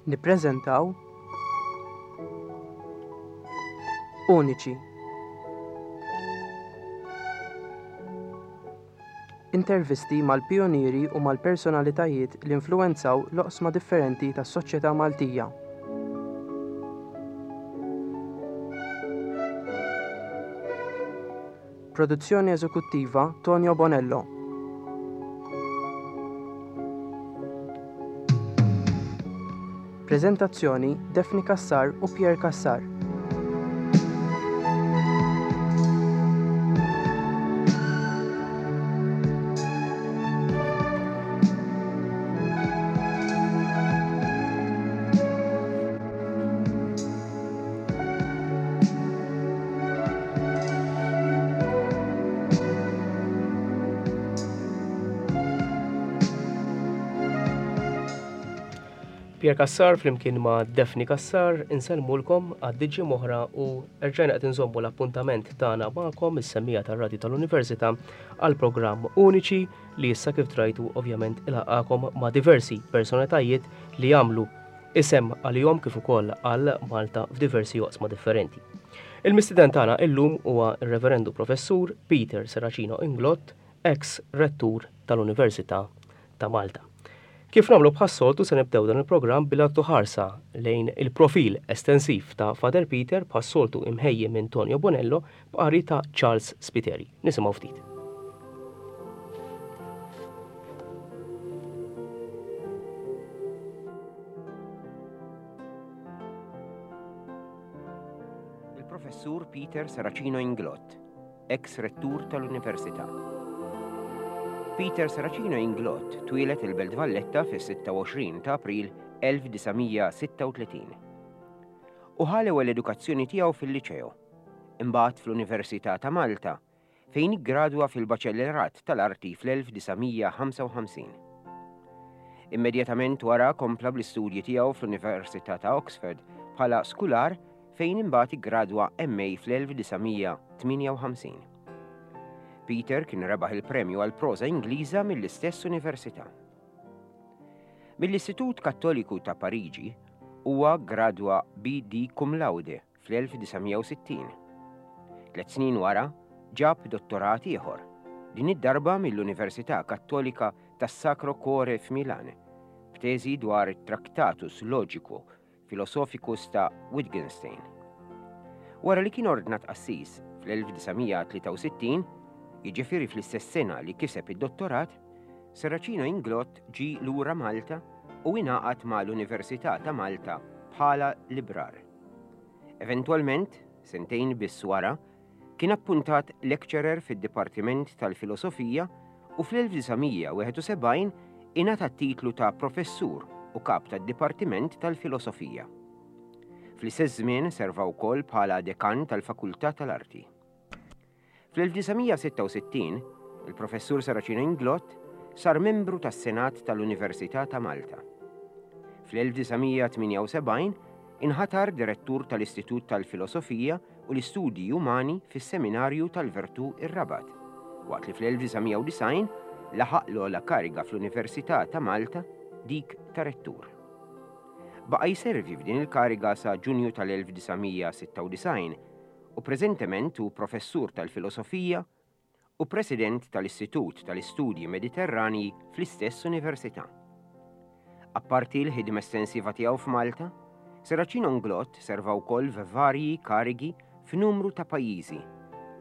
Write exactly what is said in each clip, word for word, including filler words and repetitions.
Nippreżentaw Uniċi. Intervisti mal-pijunieri u mal-personalitajiet li influwenzaw l-oqsma differenti tas-soċjetà Maltija. Produzzjoni eżekuttiva Tonio Bonello. Preżentazzjoni Daphne Cassar u Pierre Cassar. Pierre Cassar flimkien ma' Daphne Cassar insellmulkom għad-diġi moħra u rġajna qed inżommu l-appuntament tagħna magħkom is-semmija tar-radju tal-Università għal programm Uniċi li issa kif trajtu ovvjament ilaqakom ma' diversi personalitajiet li jagħmlu isem għalihom kif ukoll għal Malta f'diversi oqsma differenti. Il-mistieden tagħna illum huwa r-Reverendu Professur Peter Serracino Inglott, ex rettur tal-Università ta' Malta. Kif nagħmlu bħas-soltu se nibdew dan il-programm billi nagħtu ħarsa lejn il-profil estensiv ta' Father Peter bħas-soltu imħejji minn Tonio Bonello b'qari ta' Charles Spiteri. Nisimgħu ftit. Il-Professur Peter Serracino Inglott, ex-rettur tal-Università. Peter Serracino Inglott twieled il-Belt Valletta fis-sitta u għoxrin ta' April elf disa' mija sitta u tletin. U ħa l-ewwel edukazzjoni tiegħu fil-Liċeo, imbagħad fl-Università ta' Malta, fejn iggradwa fil-Baċellerat tal-Arti fl-elf disa' mija ħamsa u ħamsin. Immedjatament wara kompla bl-istudji tiegħu fl-Università ta' Oxford bħala skular fejn imbagħad iggradwa M A fl-elf disa' mija tmienja u ħamsin. Peter kien rebaħ il-premju għal proża Ingliża mill-istess università. Mill-Istitut Kattoliku ta' Pariġi huwa gradwa B D cum laude fl-elf disa' mija u sittin. Tliet snin wara ġab dottorat ieħor, din id-darba mill-Università Kattolika tas-Sacro Cuore f'Milan, b'teżi dwar it-Tractatus Logico Philosophicus ta' Wittgenstein. Wara li kien ordnat qassis fl-elf disa' mija tlieta u sittin, jiġifieri fl-istess sena li kiseb id-dottorat, Serracino Inglott ġie lura Malta u ingħaqad mal-Università ta' Malta bħala librar. Eventwalment, sentejn biss wara, kien appuntat lecturer fid-Dipartiment tal-Filosofija u fl-elf disa' mija wieħed u sebgħin ingħata t-titlu ta' professur u kap tad-Dipartiment tal-Filosofija. Fl-istess żmien serva wkoll bħala dekan tal-Fakultà tal-Arti. Fl-elf disa' mija sitta u sittin, il-Professur Serracino Inglott sar membru tas-Senat tal-Università ta' Malta. Fl-elf disa' mija tmienja u sebgħin inħatar direttur tal-Istitut tal-Filosofija u l-Istudji Umani fis-Seminarju tal-Vertu ir-Rabat, waqt li fl-elf disa' mija u disgħin laħaq l-ogħla kariga fl-Università ta' Malta, dik ta' rettur. Baqa' jservi f'din il-kariga sa' Ġunju tal-elf disa' mija sitta u disgħin u preżentement hu professur tal-Filosofija u president tal-Istitut tal-Istudji Mediterranji fl-istess università. Apparti l-ħidma estensiva tiegħu f'Malta, Serracino Inglott serva wkoll f'varji karigi f'numru ta' pajjiżi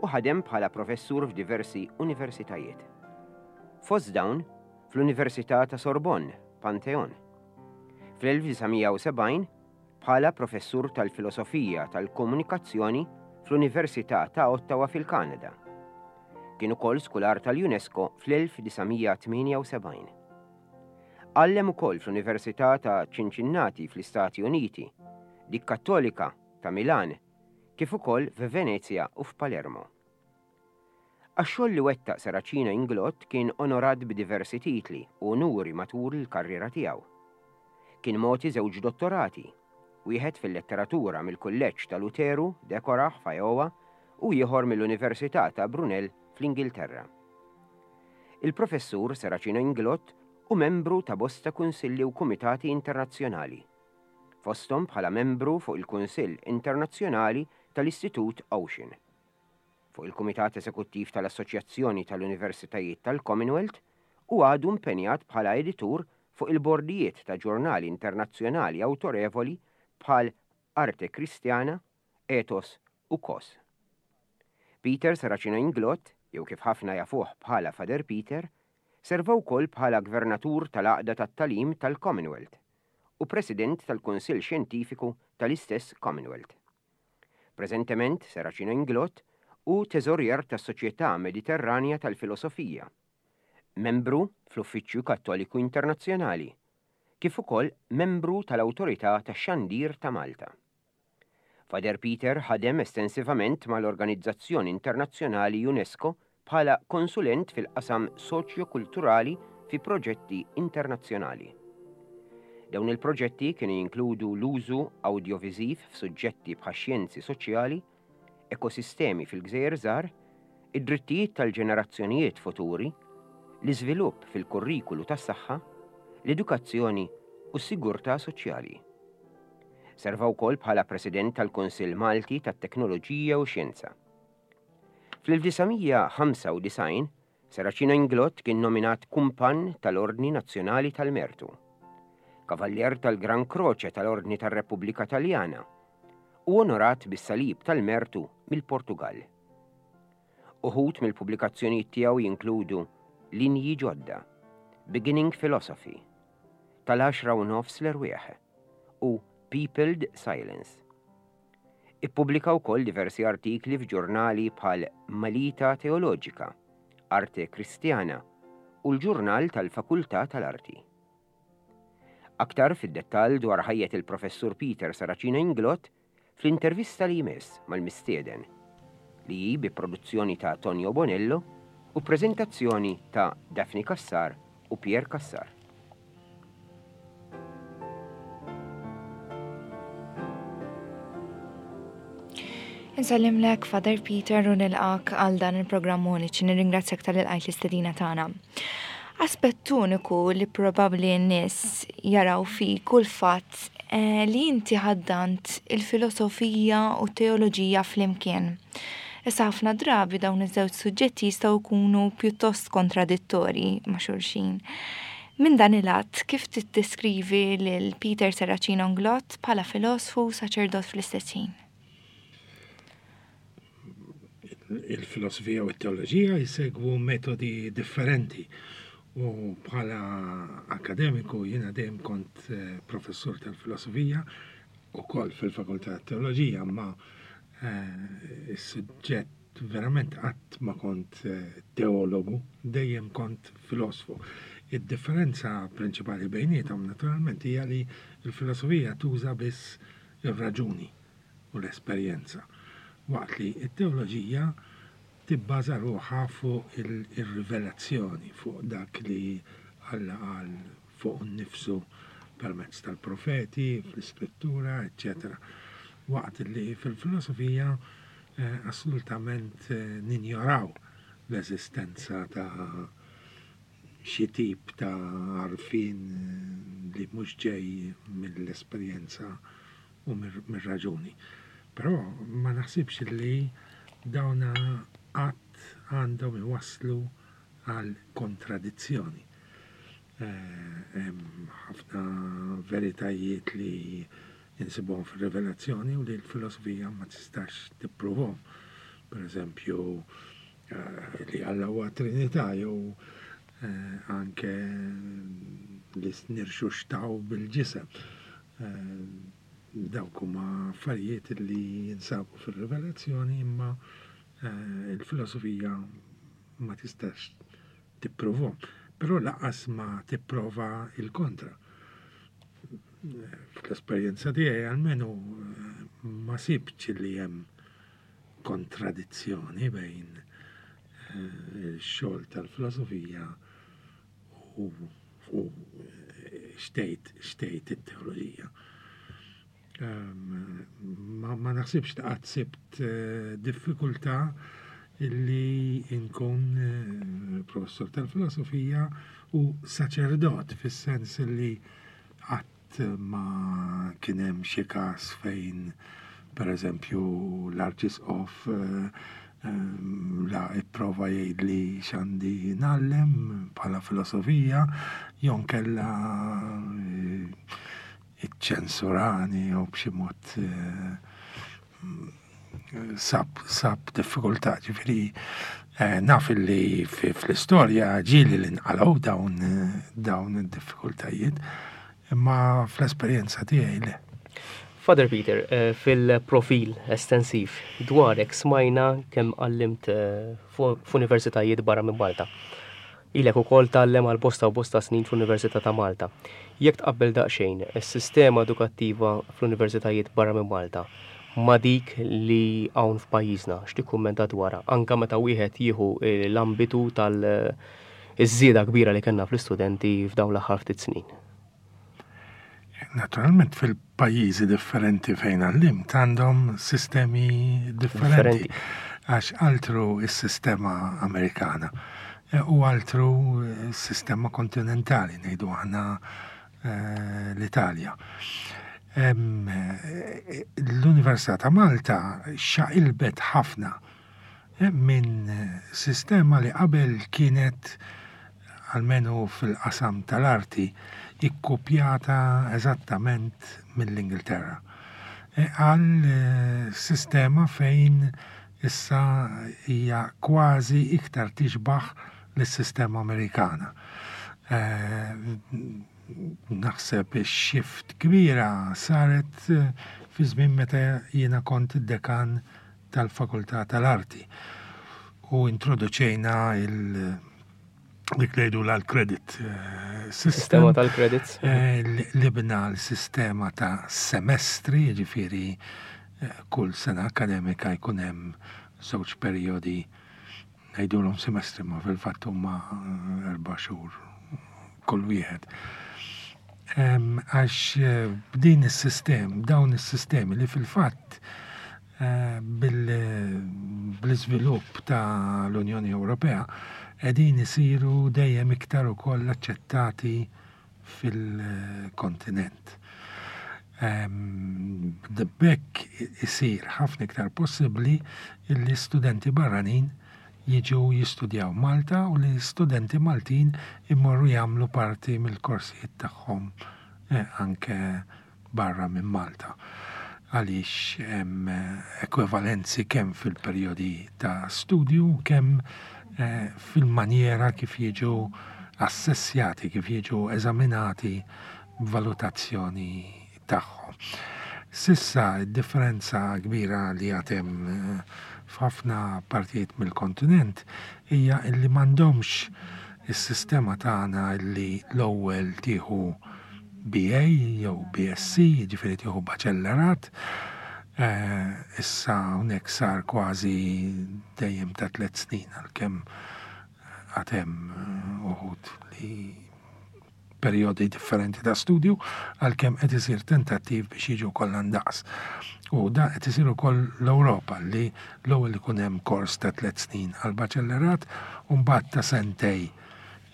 u ħadem bħala professur f'diversi universitajiet. Fost dawn, fl-Università ta' Sorbonne, Pantheon. Fl-elf disa' mija u sebgħin, bħala professur tal-Filosofija tal-Komunikazzjoni fl-Università ta' Ottawa fil-Kanada. Kien ukoll skular tal-UNESCO fl-elf disa' mija tmienja u sebgħin. Għallem ukoll fl-Università ta' Cincinnati fl-Istati Uniti, dik Kattolika ta' Milan, kif ukoll f'Venezja u f'Palermo. Għax-xogħol li wettaq Serracino Inglott kien onorat b'diversi titli u onuri matul il-karriera tiegħu. Kien mogħti żewġ dottorati, wieħed fil-letteratura mill-Kulleġġ ta' Luteru, Decorah f'Iowa, u ieħor mill-Università ta' Brunel fl-Ingilterra. Il-Professur Serracino Inglott u membru ta' bosta kunsilli u kumitati internazzjonali. fosthom bħala membru fuq il-Kunsill Internazzjonali tal-Istitut Ocean, fuq il-Kumitat Eżekuttiv tal-Assoċjazzjoni tal-Universitajiet tal-Commonwealth u għadu impenjat bħala editur fuq il-bordijiet ta' ġurnali internazzjonali awtorevoli bħal Arte Cristiana, Ethos u Kos. Peter Serracino Inglott, jew kif ħafna jafuh bħala Father Peter, serva wkoll bħala gvernatur tal-Għaqda tat-Tagħlim tal-Commonwealth u President tal-Kunsill Xjentifiku tal-istess Commonwealth. Preżentement Serracino Inglott hu teżorier tas-Soċjetà Mediterranja tal-Filosofija, membru fl-Uffiċċju Kattoliku Internazzjonali, kif ukoll membru tal-Awtorità tax-Xandir ta' Malta. Father Peter ħadem estensivament mal-Organizzazzjoni Internazzjonali UNESCO bħala konsulent fil-qasam soċjo-kulturali fi proġetti internazzjonali. Dawn il-proġetti kienu jinkludu l-użu awdjoviżiv f'suġġetti bħax-xjenzi soċjali, ekosistemi fil-gżejjer żgħar, id-drittijiet tal-ġenerazzjonijiet futuri, l-iżvilupp fil-kurrikulu tas-saħħa, l-edukazzjoni u s-sigurtà soċjali. Serva wkoll bħala President tal-Kunsill Malti tat-Teknoloġija u Xjenza. Fl-elf disa' mija ħamsa u disgħin, Serracino Inglott kien nominat Kumpann tal-Ordni Nazzjonali tal-Mertu, Kavallier tal-Gran Croce tal-Ordni tar-Repubblika Taljana u onorat bis-Salib tal-Mertu mill-Portugal. Uħud mill-pubblikazzjonijiet tiegħu jinkludu Linji Ġodda, Beginning Philosophy, tal-għaxra u nofs l-erwieħ u Peopled Silence. Ippubblika wkoll diversi artikli f'ġurnali bħal Malita Teoloġika, Arte Cristiana u l-ġurnal tal-Fakultà tal-Arti. Aktar fid-dettall dwar ħajjet il-Professur Peter Serracino Inglott fl-intervista li jmiss mal-mistieden, li hi bi produzzjoni ta' Tonio Bonello u prezentazzjoni ta' Daphne Cassar u Pierre Cassar. Insellimlek Father Peter u nilqak għal dan il-programm uniċi. Nirringrazzjak tal-ilqajt l-istedina tagħna. Aspett uniku li probabbli n-nies jaraw fik u l-fatt, eh, li inti ħaddant il-filosofija u t-teoloġija flimkien. Issa ħafna drabi dawn iż-żewġ suġġetti jistgħu jkunu pjuttost kontradittorji ma' xulxin. Minn dan il-att, kif tiddeskrivi lil Peter Serracino Inglott bħala filosfu u saċerdot fl-istess ħin? Il-filosofija u t-teoloġija jsegwu metodi differenti u bħala akademiku jiena dejjem kont, eh, professur tal-filosofija u koll fil-fakultà tat-teoloġija, ma, eh, is-suġġett verament qatt ma kont, eh, teologu, dejjem kont filosfu. Id-differenza prinċipali bejniethom naturalment hija li l-filosofija tuża biss ir-raġuni u l-esperjenza, waqt li t-teoloġija tibbaża ruħha fuq il-, ir-rivelazzjoni, fuq dak li Alla qal fuq nnifsu permezz tal-profeti, fl-iskrittura, eċċetera. Waqt li fil-filosofija, eh, assolutament, eh, ninjoraw l-eżistenza ta' xi tip ta' għarfien, eh, li mhux ġej mill-esperjenza u mir-, mir-raġuni. Però ma naħsibx li dawna qatt għandhom iwasslu għal kontradizzjoni. Eh, hemm ħafna veritajiet li insibuhom fir-rivelazzjoni u li l-filosofija ma tistax tippruvhom. Per eżempju, eh, li Alla huwa Trinità jew, eh, anke li nirxuxtaw bil-ġisem. Eh, dawk huma affarijiet li jinsabu fir-rivelazzjoni imma, eh, il-filosofija ma tistax tippruvhom. Però lanqas ma tipprova il-kontra. Fl-esperjenza tiegħi almenu, eh, ma sibtx li hemm kontradizzjoni bejn, eh, il-xogħol tal-filosofija u, u xtejt, xtejt it-teoloġija. Ehm, ma, ma naħsibx li qatt sibt, eh, diffikultà illi nkun, eh, professor tal-filosofija u saċerdot, fis-sens li qatt Qatt ma kien hemm xi każ fejn, per eżempju, l-Arċisqof eh, eh, la ipprova jgħidli x'għandi ngħallem bħala filosofija, jew inkella eh, iċċensurani jew b'xi mod sab, sab diffikultà. Ġifieri naf li fl-istorja ġieli li nqalgħu dawn dawn id-diffikultajiet, imma fl-esperjenza tiegħi le. Father Peter, eh, fil-profil estensiv dwarek smajna kemm għallimt eh, f'universitajiet barra minn Malta. Ilek ukoll tgħallem għal bosta u bosta snin fl-Università ta' Malta. Jekk tqabbel daqsxejn is-sistema edukattiva fl-universitajiet barra minn Malta ma' dik li hawn f'pajjiżna, x'tikkummenta dwarha, anka meta wieħed jieħu eh, l-ambitu tal-żieda kbira li kellna fl-istudenti f'dawn l-aħħar ftit snin? Naturalment, fil-pajjiżi differenti fejn għallimt għandhom sistemi differenti. Għax altru is-sistema Amerikana e, u altru s-sistema kontinentali, ngħidu aħna eh, l-Italja. L-Università ta' Malta xaqilbet ħafna eh, minn sistema li qabel kienet, almenu fil-qasam tal-arti, ikkupjata eżattament mill-Ingilterra, E, għal eh, sistema fejn issa hija kważi iktar tixbaħ lis-sistema Amerikana. E, naħseb ix-shift kbira saret eh, fi żmien meta jiena kont id-dekan tal-Fakultà tal-Arti u introduċejna il- dik li jgħidu l-credit eh, system. Sistema tal-credits. Eh, li bna l-sistema ta' semestri, ġifieri eh, kull sena akademika jkun hemm żewġ perjodi, ngħidulhom semestri, ma fil-fatt huma erba' xhur kull wieħed. Għax b'din is-sistem, dawn is-sistemi li fil-fatt bil-iżvilupp ta' l-Unjoni Ewropea qegħdin isiru dejjem iktar ukoll aċċettati fil-kontinent. B'hekk isir ħafna iktar possibbli li studenti barranin jiġu jistudjaw Malta u li studenti Maltin immorru jagħmlu parti mill-korsijiet tagħhom eh, anke barra minn Malta, għaliex hemm ekwivalenzi kemm fil-perjodi ta' studju, kemm eh, fil-manjera kif jiġu assessjati, kif jiġu eżaminati, valutazzjoni tagħhom. S'issa differenza kbira li għad hemm eh, f'ħafna partijiet mill-kontinent hija illi m'għandhomx is-sistema tagħna li l-ewwel tieħu B A jew B S C, ġifieri tieħu baċellerat. Eh, issa hawnhekk sar kważi dejjem ta' tliet snin, għalkemm għad hemm eh, uħud li perjodi differenti ta' studju, għalkemm qed isir tentattiv biex jiġu kollha ndaqs. U da qed isir ukoll l-Ewropa, li l-ewwel ikun hemm kors ta' tliet snin għal baċellerat u mbagħad ta' sentejn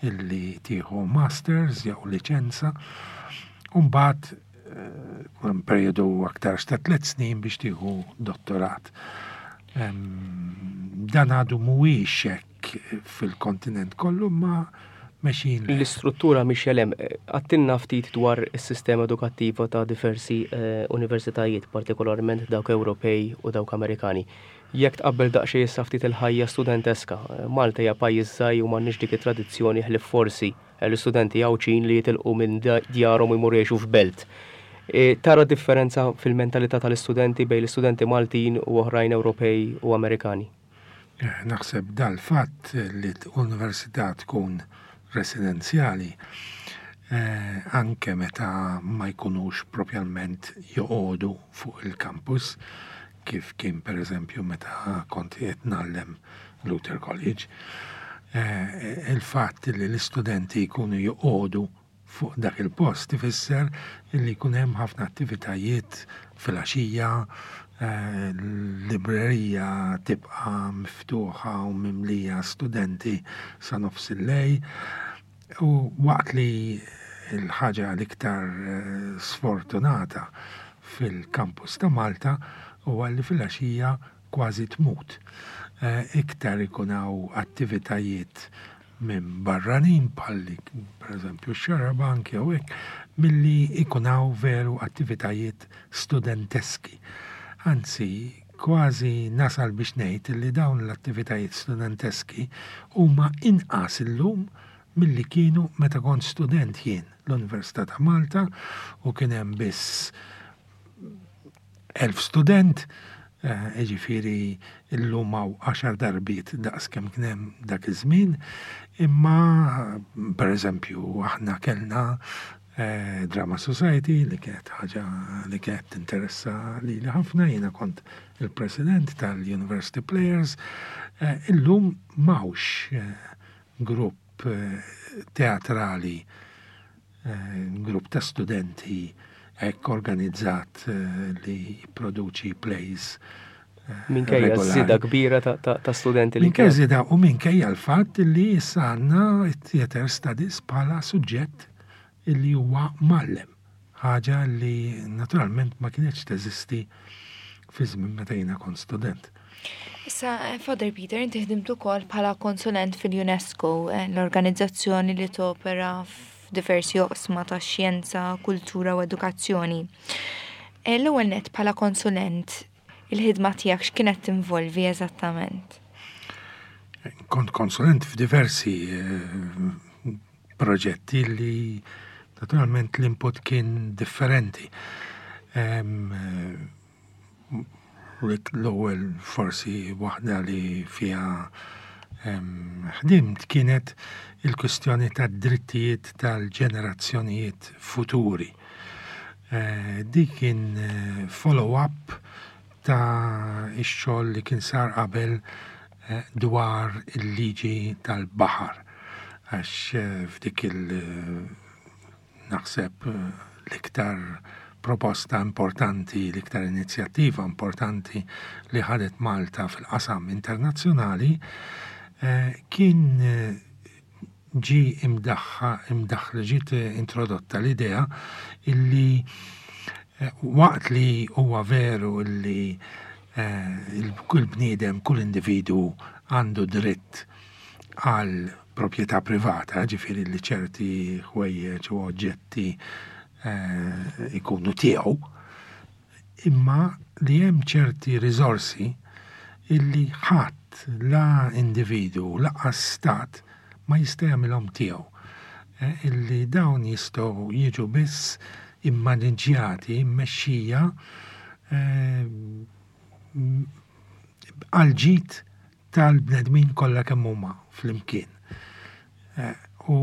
illi tieħu masters jew liċenza u mbagħad eh, perjodu aktar ta' tliet snin biex tieħu dottorat. Dan għadu mhuwiex hekk fil-kontinent kollu, ma mexjin. L-istruttura mhix hemm. Għidtilna ftit dwar is-sistema edukattiva ta' diversi eh, universitajiet, partikolarment dawk Ewropej u dawk Amerikani. Jekk tqabbel daqsxejn issa ftit il-ħajja studenteska, Malta hija pajjiż żgħir u m'għandniex dik it-tradizzjoni, ħlief forsi l-istudenti Għawdxin li jitilqu minn djarhom u jmorru jgħixu f'belt. E, tara differenza fil-mentalità tal-istudenti bejn l-istudenti Maltin u oħrajn Ewropej u Amerikani? Eh, naħseb dal-fatt li l-università tkun residenzjali, eh, anke meta ma jkunux propjalment joqogħdu fuq il-campus, kif kien per eżempju meta kont qed ngħallem Luther College, eh, il-fatt li l-istudenti jkunu joqogħdu fuq dak il-post ifisser li jkun hemm ħafna attivitajiet fil-għaxija, eh, l-librerija tibqa' miftuħa u mimlija studenti sa nofs il-lejl, u waqt li Il-ħaġa l-iktar eh, sfortunata fil-kampus ta' Malta huwa li fil-għaxija kważi tmut. Eh, iktar ikun hawn attivitajiet minn barranin bħalli per eżempju x-xarabank jew hekk milli ikun hawn veru attivitajiet studenteski. Anzi, kważi nasal biex ngħid li dawn l-attivitajiet studenteski huma inqas illum milli kienu meta kont student jien l-Università ta' Malta u kien hemm biss elf student, eh, jiġifieri illum hawn għaxar darbiet daqs kemm kien hemm dak iż-żmien, imma pereżempju aħna kellna eh, Drama Society li kienet ħaġa li kienet tinteressa lili ħafna, jiena kont il-president tal-University Players, eh, illum m'hawnx grupp teatrali, grupp ta' studenti hekk organizzat li jipproduċi plays. Minkejja żieda kbira ta' studenti li. Minkejja żieda u minkejja l-fatt li issa għandna theater studies bħala suġġett li huwa mgħallem. Ħaġa li naturalment ma kienx teżisti fi żmien meta jiena kont student. Issa, Father Peter, inti ħdimt ukoll bħala konsulent fil-UNESCO, l-organizzazzjoni li topera f'diversi oqsma ta' xjenza, kultura u edukazzjoni. L-ewwel net bħala konsulent, il-ħidma tiegħek x'kienet tinvolvi eżattament? Kont konsulent f'diversi proġetti li naturalment l-input kien differenti. L-ewwel forsi waħda li fiha ħdimt kienet il-kwistjoni tad-drittijiet tal-ġenerazzjonijiet futuri. Dik kien follow-up ta' ix-xogħol li kien sar qabel dwar il-liġi tal-baħar. Għax f'dik il- naħseb l-iktar proposta importanti, l-iktar inizjattiva importanti li ħadet Malta fil-qasam internazzjonali, kien ġi imdaħħa, imdaħħla, ġiet introdotta l-idea illi waqt li huwa veru illi kull bniedem, kull individu għandu dritt għal proprjetà privata, ġifieri li ċerti ħwejjeġ u oġġetti ikunu tiegħu, imma li hemm ċerti riżorsi illi ħadd la individu lanqas stat ma jista' jagħmilhom tiegħu, illi dawn jistgħu jiġu biss immaniġġjati, immexxija għal ġid tal-bnedmin kollha kemm huma flimkien. U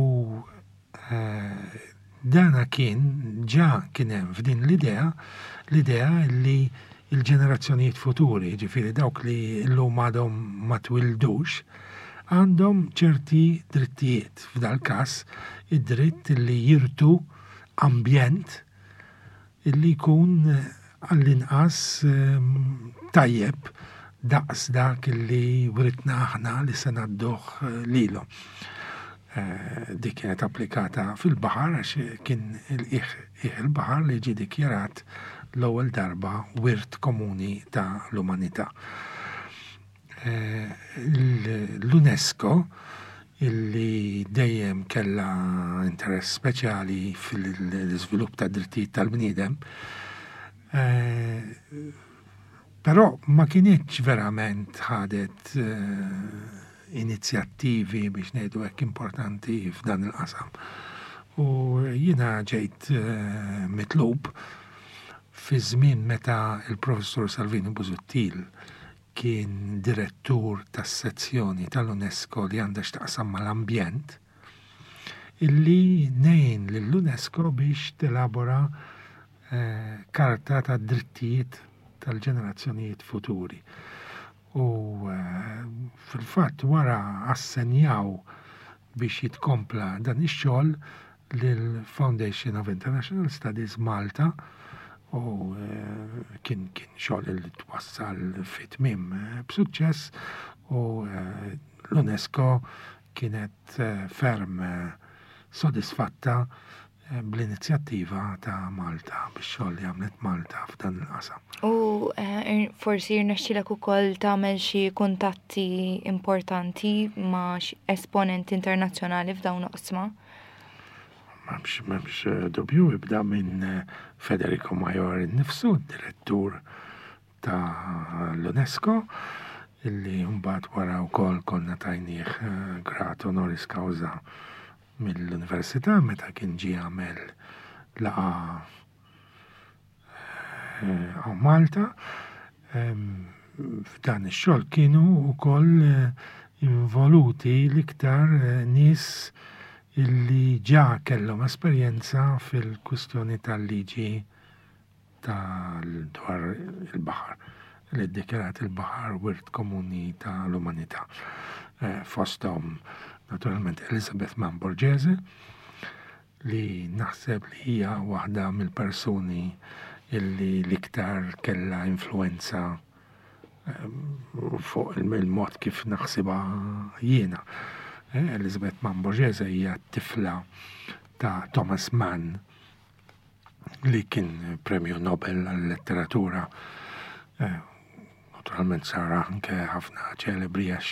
dana kien ġa kien hemm f'din l-idea, l-idea li l-ġenerazzjonijiet futuri, ġifieri dawk li llum għadhom ma twildux, għandhom ċerti drittijiet. F'dal każ id-dritt li jirtu ambjent illi jkun għall-inqas tajjeb daqs dak li writna aħna li se ngħadduh lilhom. Dik kienet applikata fil-baħar għax kien il-qiegħ il-baħar li ġie dikjarat l-ewwel darba wirt komuni ta' l-umanità. L-UNESCO, illi dejjem kellha interess speċjali fil-iżvilupp ta' drittijiet tal-bniedem, però ma kienx verament ħadet inizjattivi biex ngħidu hekk importanti f'dan il-qasam. U jiena ġejt mitlub fi żmien meta il-professur Salvini Busuttil kien direttur tas-sezzjoni tal-UNESCO li għandha x'taqsam mal-ambjent, illi ngħin lill-UNESCO biex telabora karta ta' drittijiet tal-ġenerazzjonijiet futuri. U fil-fatt wara assenjaw biex jitkompla dan ix-xogħol lill-Foundation of International Studies Malta, u kien kien xogħol li twassal fi tmiem b'suċċess, u l-UNESCO kienet ferm sodisfatta eh, bl-inizjattiva ta' Malta, bix-xogħol li għamlet Malta f'dan il-qasam. U eh, forsi rnexxilek ukoll tagħmel xi kuntatti importanti ma' esponenti internazzjonali f'dawn oqsma? M'hemmx m'hemmx eh, dubju, ibda minn Federico Mayor innifsu, direttur ta' l-UNESCO, illi mbagħad wara wkoll konna tajnieh eh, grad honoris causa mill-università meta kien ġie għamel laqgħa eh, Malta. F'dan ix-xogħol kienu wkoll eh, involuti l-iktar nies illi ġa kellhom esperjenza fil-kwistjoni tal-liġi tal-dwar il-baħar li ddikjarat il-baħar wirt komuni tal-umanità. Eh, fosthom naturalment Elizabeth Mann Borghese, li naħseb li hija waħda mill-persuni illi l-iktar kella influenza eh, fuq il-mod kif naħsibha jiena. Eh, Elizabeth Mann Borghese hija tifla ta' Thomas Mann, li kien premju Nobel għal-letteratura. Naturalment sar anke ħafna ċelebri għax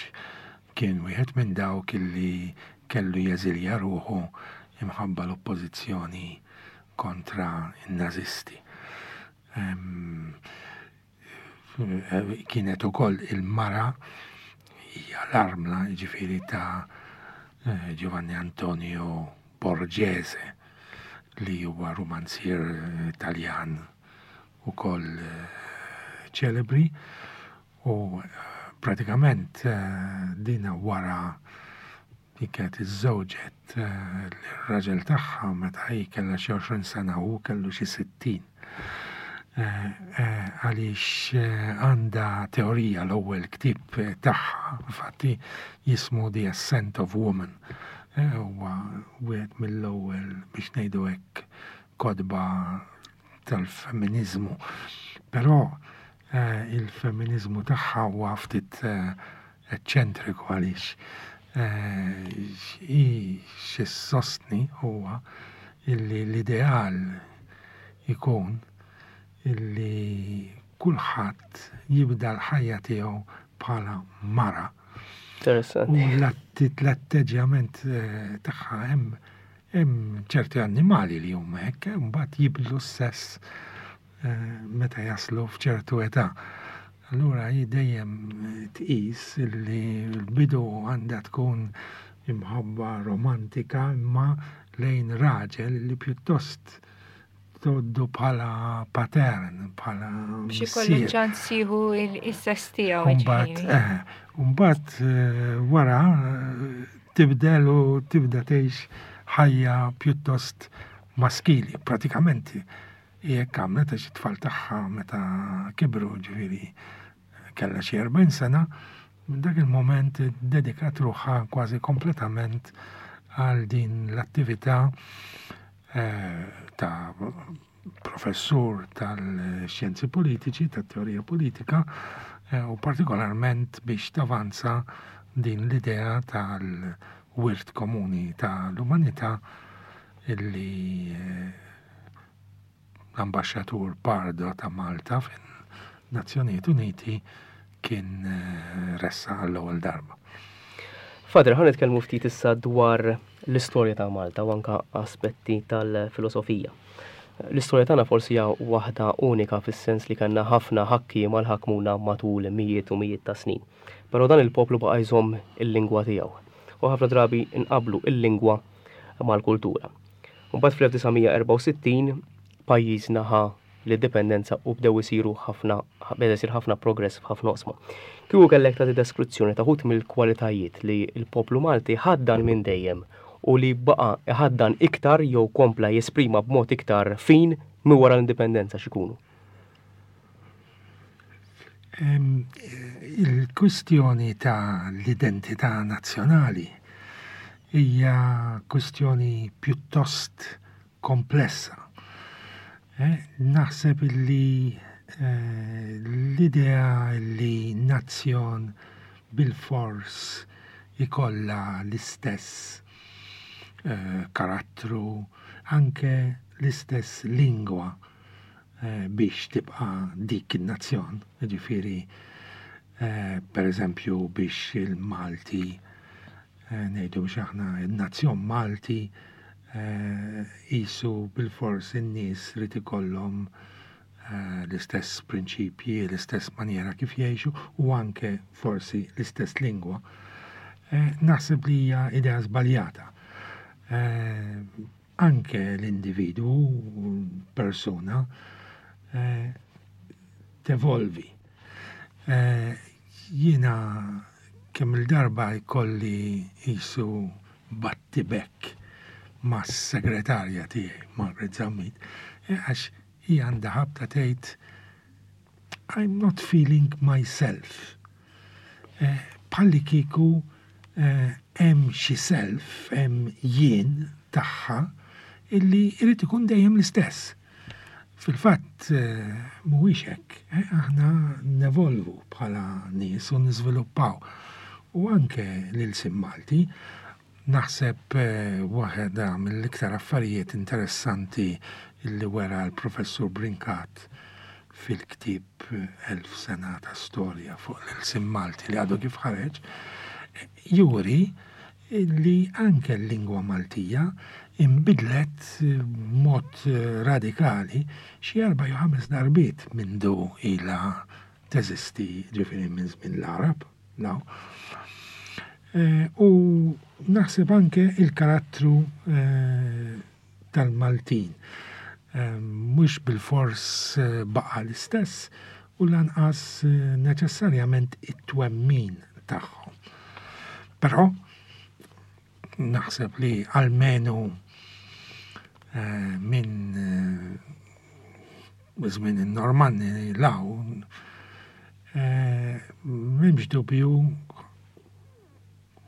kien wieħed minn dawk illi kellu jeżilja ruħu imħabba l-oppożizzjoni kontra n-nazisti. Kienet ukoll il-mara, hija l-armla ġifieri ta' eh, Giovanni Antonio Borghese, li huwa romanzier Taljan ukoll eh, ċelebri, u eh, pratikament eh, dina wara li kienet iżżewġet eh, l-raġel tagħha meta hi kellha xi għoxrin sena u kellu xi sittin. Għaliex għandha teorija, l-ewwel ktieb tagħha infatti jismu The Ascent of Woman. Huwa wieħed mill-ewwel, biex ngħidu hekk, kotba tal-femminizmu. Però Eh, il-femminizmu tagħha huwa ftit eh, eċċentriku għaliex eh, xi sostni huwa illi l-ideal ikun illi kulħadd jibda l-ħajja tiegħu bħala mara. Interessanti. U l-atteġġjament tagħha, hemm hemm ċerti annimali li huma hekk, mbagħad jibdlu s-sess Eh, meta jaslu f'ċertu età. Allura hi dejjem tqis li l-bidu għandha tkun imħabba romantika imma lejn raġel li pjuttost tgħoddu bħala patern, bħala Biex ikollu ċans jieħu il-sess tiegħu. Mbagħad, eh, mbagħad eh, wara tibdel u tibda tgħix ħajja pjuttost maskili, pratikament jekk għamlet, għax it-tfal tagħha meta kibru, ġifieri kellha xi erbgħin sena, minn dak il-moment dedikat ruħha kważi kompletament għal din l-attività eh, ta' professur tal-xjenzi politiċi, tat-teorija politika, eh, u partikolarment biex tavanza din l-idea tal-wirt komuni tal-umanità illi eh, l-ambaxxatur Pardo ta' Malta fin-Nazzjonijiet Uniti kien eh, ressaq għall-ewwel darba. Father, ħa nitkellmu ftit issa dwar l-istorja ta' Malta u anka aspetti tal-filosofija. L-istorja tagħna forsi hija waħda unika fis-sens li kellna ħafna ħakkiema li ħakmuna matul mijiet u mijiet ta' snin. Però dan il-poplu baqa' jżomm il-lingwa tiegħu. U ħafna drabi nqablu il-lingwa mal-kultura. Mbagħad fl-elf disa' mija erbgħa u sittin pajjiżna ħa l-indipendenza u bdew isiru ħafna, beda jsir ħafna progress f'ħafna oqsma. Kieku kellek tagħti deskrizzjoni ta' wħud mill-kwalitajiet li l-poplu Malti ħaddan minn dejjem u li baqa' ħaddan iktar jew kompla jesprima b'mod iktar fin minn wara l-indipendenza, x'ikunu? Il-kwistjoni ta' l-identità nazzjonali hija kwistjoni pjuttost komplessa. Eh, naħseb illi eh, l-idea li nazzjon bil-fors ikolla l-istess eh, karattru, Anke l-istess lingwa eh, biex tibqa' dik in-nazzjon, jiġifieri eh, per eżempju biex il-Malti eh, ngħidu biex aħna il-nazzjon Malti qisu bilfors in-nies irid ikollhom l-istess prinċipji, l-istess maniera kif jgħixu u anke forsi l-istess lingwa. Naħseb li hija idea żbaljata. Anke l-individwu, persuna, tevolvi. Jiena kemm il-darba jkolli qisu battibekk mas-segretarja tiegħi, Margaret Zammit, għax hija għandha ħabta tgħid "I'm not feeling myself." Bħalli kieku hemm xi self, hemm jien tagħha illi jrid ikun dejjem l-istess. Fil-fatt mhuwiex hekk, aħna nevolvu bħala nies u niżviluppaw. U anke l-ilsien Malti, naħseb waħda mill-iktar affarijiet interessanti illi wera l-Professur Brincat fil-ktieb Elf Sena ta' Storja fuq l-ilsien Malti li għadu kif ħareġ, juri li anke l-lingwa Maltija imbidlet b'mod radikali xi erba' jew ħames darbiet mindu ilha teżisti, ġifieri minn żmien l-Għarab. U naħseb anke il-karattru tal-Maltin mhux bilfors baqa' l-istess u lanqas neċessarjament it-twemmin tagħhom. Però naħseb li almenu minn żmien in-Normanni 'l hawn m'hemmx dubju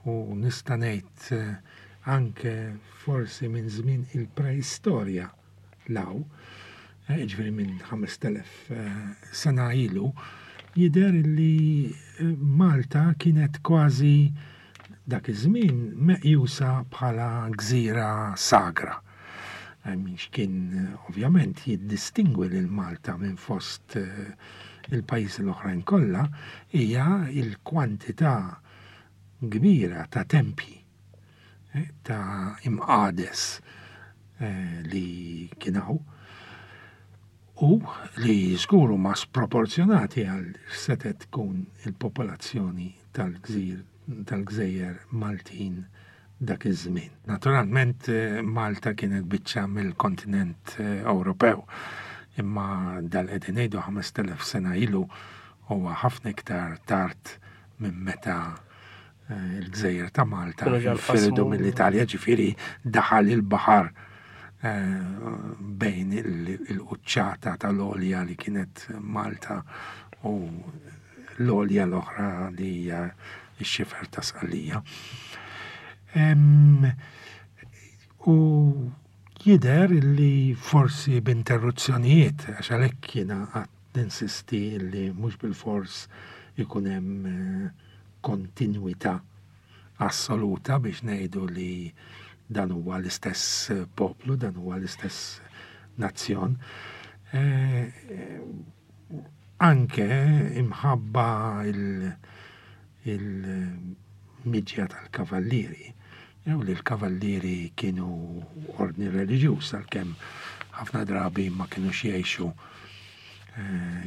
u nista' ngħid anke forsi minn żmien il-preistorja 'l hawn, ġifieri minn ħamest elef sena ilu, jidher li Malta kienet kważi dak iż-żmien meqjusa bħala gżira sagra. X'kien ovvjament jiddistingwi lil Malta minn fost il-pajjiżi l-oħrajn kollha hija il-kwantità kbira ta' tempji, ta' imqades li kien hawn u li żgur huma sproporzjonati għal setgħet tkun il-popolazzjoni tal-gżir tal-gżejjer Maltin dak iż-żmien. Naturalment Malta kienet biċċa mill-kontinent Ewropew, imma dal qegħdin ngħidu ħamest elef sena ilu huwa ħafna iktar tard minn meta il-gżejjer ta' Malta infirdu mill-Italja, ġifieri daħal il-baħar bejn il-quċċata tal-għolja li kienet Malta u l-għolja l-oħra li hija x-xifer ta' Sqallija. U jidher li forsi b'interruzzjonijiet, għax għalhekk jiena għad ninsisti li mhux bilfors ikun hemm kontinwità assoluta biex ngħidu li dan huwa l-istess poplu, dan huwa l-istess nazzjon. Anke imħabba il-miġja tal-kavallieri, jew li l-kavallieri kienu ordni reliġjuż għalkemm ħafna drabi ma kienux jgħixu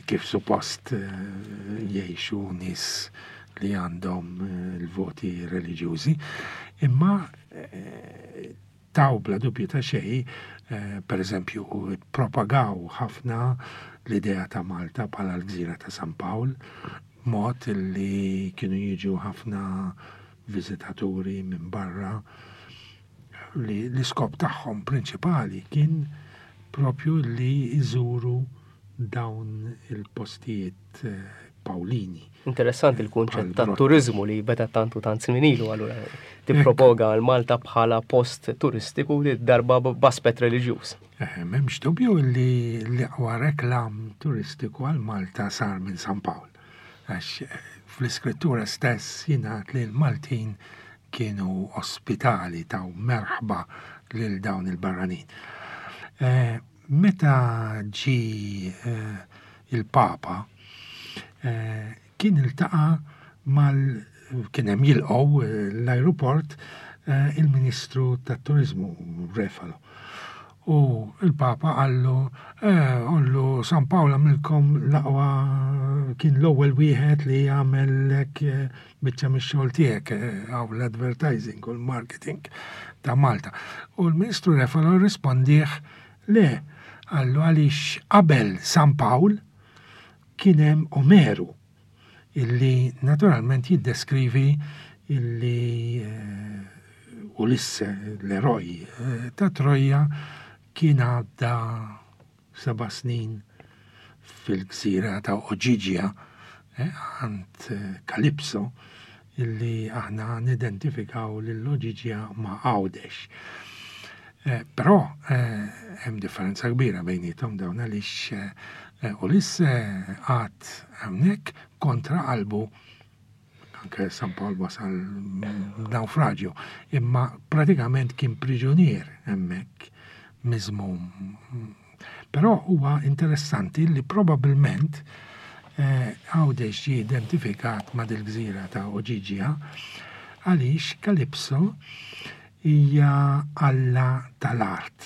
kif suppost jgħixu nies li għandhom il-voti reliġjużi, imma taw bla dubju ta' xejn, per eżempju, propagaw ħafna l-idea ta' Malta bħala l-gżira ta' San Pawl, mod li kienu jiġu ħafna viżitaturi minn barra li l-iskop tagħhom prinċipali kien propju li jżuru dawn il-postijiet Pawlini. Interessanti il-kunċett ta' turizmu li beda tantu tant snin ilu, allura tippropoga l Malta bħala post turistiku li darba b'aspett reliġjuż. Eh, m'hemmx dubju li l-aqwa reklam turistiku għal Malta sar minn San Pawl. Għax fl-iskrittura stess jingħad li l-Maltin kienu ospitali, taw merħba lil dawn il-barranin. Eh, meta ġie eh, il-Papa eh, kien iltaqa' mal kien hemm jilqgħu l-ajruport il-Ministru tat-Turiżmu Refalo. U il-Papa qallu, qallu San Pawl għamlilkom l-aqwa, kien l-ewwel wieħed li għamellek biċċa mix-xogħol tiegħek hawn l-advertising u l-marketing ta' Malta. U l-Ministru Refalo rrispondih le, qallu għaliex qabel San Pawl kien hemm Omeru illi naturalment jiddeskrivi illi Ulisse, l-eroj ta' Troja, kien għadda seba' snin fil-gżira ta' Oġiġja għand Kalipso, illi aħna nidentifikaw lil Oġiġja ma' Għawdex. Però hemm differenza kbira bejniethom dawn għaliex Ulisse qagħad hawnhekk kontra qalbu, anke San Pawl wasal naufraġju, imma pratikament kien priġunier hemmhekk miżmum. Però huwa interessanti li probabbilment Għawdex ġie identifikat ma' dil-gżira ta' Oġiġja għaliex Kalipso hija alla tal-art,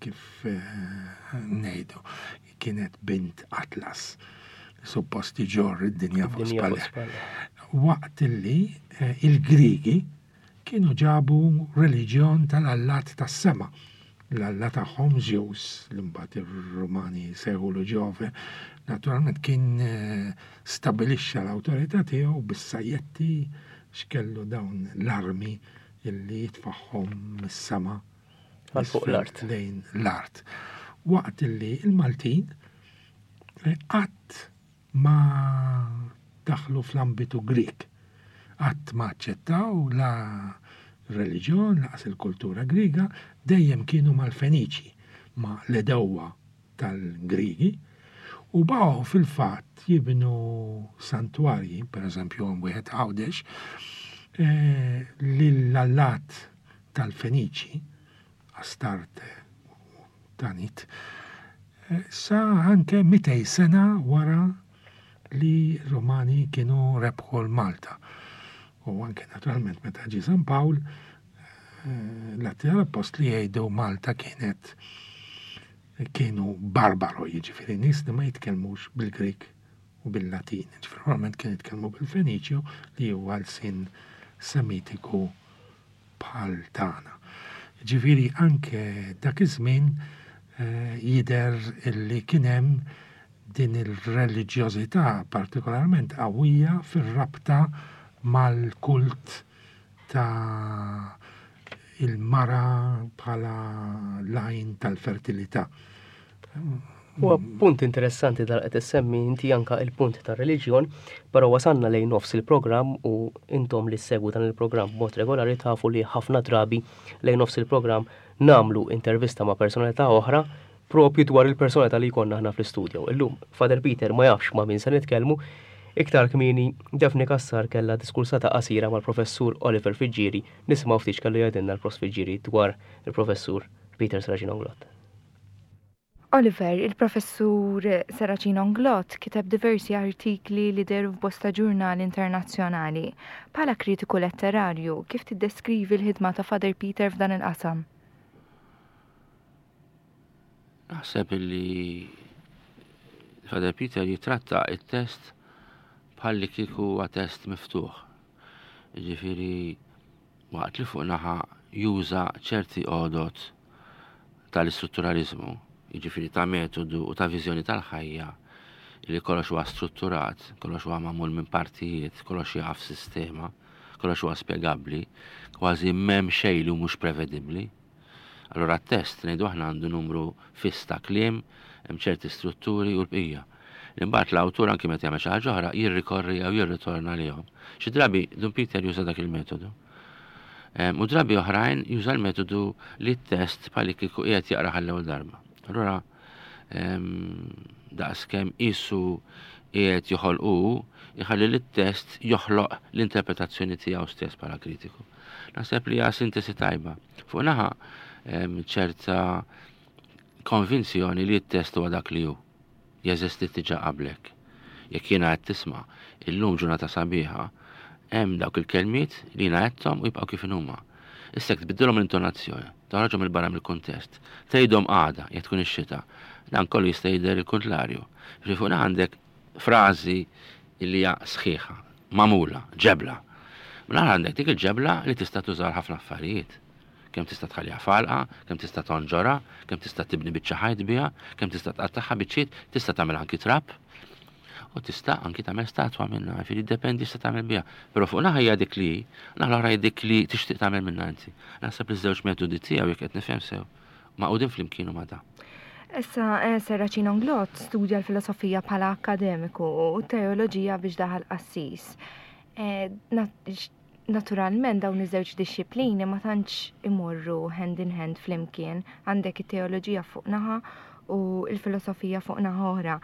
kif ngħidu, kienet bint Atlas, suppost iġorr id-dinja fuq spallejh. Waqt illi il-Grigi kienu ġabu reliġjon tal-allat tas-sema. L-alla tagħhom Zeus, li mbagħad ir-Rumani sejħulu Ġove, naturalment kien stabilixxa l-awtorità tiegħu bis-sajjetti x'kellu dawn l-armi illi jitfaħħom mis-sema għal fuq l-art. Lejn l-art. Waqt illi il-Maltin qatt ma daħlu fl-ambitu Grek, qatt ma aċċettaw la reliġjon, laqas il-kultura Griega, dejjem kienu mal-Feniċi, ma l-edewwa tal-Grigi, u baqgħu fil-fatt jibnu santwarji, per eżempju wieħed Għawdex, lill-allat tal-Feniċi, Astarte u Tanit, sa anke mitej sena wara li Romani kienu rebħu l-Malta. U anke naturalment meta ġie San Pawl, l-Atti tal-Appostli jgħidu Malta kienet kienu barbaro, jiġifieri nies li ma jitkellmux bil-Grik u bil-Latin. Jiġifieri normalment kienu jitkellmu bil-Feniċju li huwa lsien Semitiku bħal tagħna. Jiġifieri anke dak iż-żmien jidher illi kien hemm din il-reliġjożità partikolarment qawwija fir-rabta mal-kult ta' il-mara bħala l-għajn tal-fertilità. Huwa punt interessanti dal qed issemmi inti anka il-punt tar-reliġjon, però wasalna lejn nofs il-programm u intom li ssegwu dan il-programm b'mod regolari tafu li ħafna drabi lejn nofs il-programm nagħmlu intervista ma' personalità oħra propju dwar il-personalità li jkollna aħna fl-istudio. Illum Father Peter ma jafx ma' min se nitkellmu. Iktar kmieni Daphne Cassar kellha diskursata qasira mal-professur Oliver Friggieri. Nisimgħu ftit x'kellu jgħidilna l-Prof Friggieri dwar il-professur Peter Serracino Inglott. Oliver, il-professur Serracino Inglott kiteb diversi artikli li dehru f'bosta ġurnali internazzjonali. Bħala kritiku letterarju, kif tiddeskrivi l-ħidma ta' Father Peter f'dan il-qasam? Naħseb li Father Peter jitratta it-test bħalli kieku huwa test miftuħ. Jiġifieri waqt li fuq naħa juża ċerti għodot tal-istrutturalizmu, jiġifieri ta' metodu u ta' viżjoni tal-ħajja li kollox huwa strutturat, kollox huwa magħmul minn partijiet, kollox jaf sistema, kollox huwa spjegabbli, kważi m'hemm xejn li mhux prevedibbli. Allura t-test ngħidu aħna għandu numru fiss ta' kliem, hemm ċerti strutturi u l-bqija. Imbagħad l-awtur anki meta jagħmel xi ħaġa oħra jirrikorri jew jirritorna lihom. Xi drabi Dun Peter juża dak il-metodu. U drabi oħrajn juża l-metodu li t-test bħalli kieku qiegħed jaqra għall-ewwel darba. Allura daqskemm qisu qiegħed joħolqu, iħalli li t-test joħloq l-interpretazzjoni tiegħu stess bħala kritiku. Naħseb li hija sintesi tajba. Fuq naħa ċerta konvinzjoni li t-test huwa dak li hu. Jeżisti diġà qablek. Jekk jiena qed tisma' illum ġurnata sabiħa, hemm dawk il-kelmiet li jiena għedthom u jibqgħu kif huma. Issa jekk tbiddilhom l-intonazzjoni, toħroġhom 'il barra mill-kuntest, tgħidhom għada jekk tkun ix-xita, dan kollu jista' jidher il-kuntrarju. Ġifieri fuq għandek frażi li hija sħiħa, magħmula, ġebla. Mela għandek dik il-ġebla li tista' tużar ħafna affarijiet. Kemm tista' tħalliha falqa, kemm tista' tonġora, kemm tista' tibni biċċa ħajt biha, kemm tista' tqattagħha biċċiet, tista' tagħmel anki trab, u tista' anki tagħmel statwa minnha, jiġifieri ddependi x'se tagħmel biha. Però fuq naħa hija dik li, naħa l-oħra hija dik li tixtieq tagħmel minnha inti. Naħseb li żewġ metodi tiegħu jekk qed nifhem sew, magħqudin flimkien u ma' da. Issa eh, Serracino Inglott studja l-filosofija bħala akkademiku u teoloġija biex daħal qassis. Eh, naturalment dawn iż-żewġ dixxiplini ma tantx imorru hand in hand flimkien, għandek it-teoloġija fuq naħa u l-filosofija fuq naħa oħra.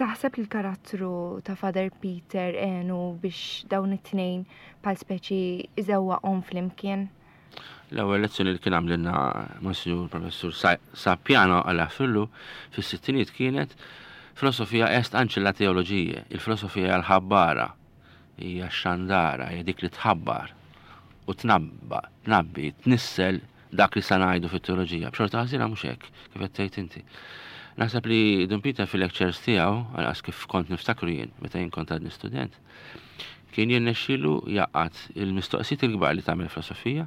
Taħseb li l-karattru ta' Father Peter għenu biex dawn it-tnejn bħal speċi iżewwaqhom flimkien? L-ewwel lezzjoni li kien għamlilna Monsignor Professur Sapiano għal fillu fis-sittinijiet kienet filosofia est ancilla teologiae, il-filosofija l-ħabbara, hija x-xandara, hija dik li tħabbar u tnabba, tnabbi, tnissel dak li sa ngħidu fit-teoloġija. B'xorta ħażina mhux hekk, kif qed tgħid inti. Naħseb li Dun Peter fil-lectures tiegħu, għalqas kif kont niftakru jien, meta jien kont għadni student, kien jirnexxielu jgħaqqad il-mistoqsijiet il-kbar li tagħmel filosofija,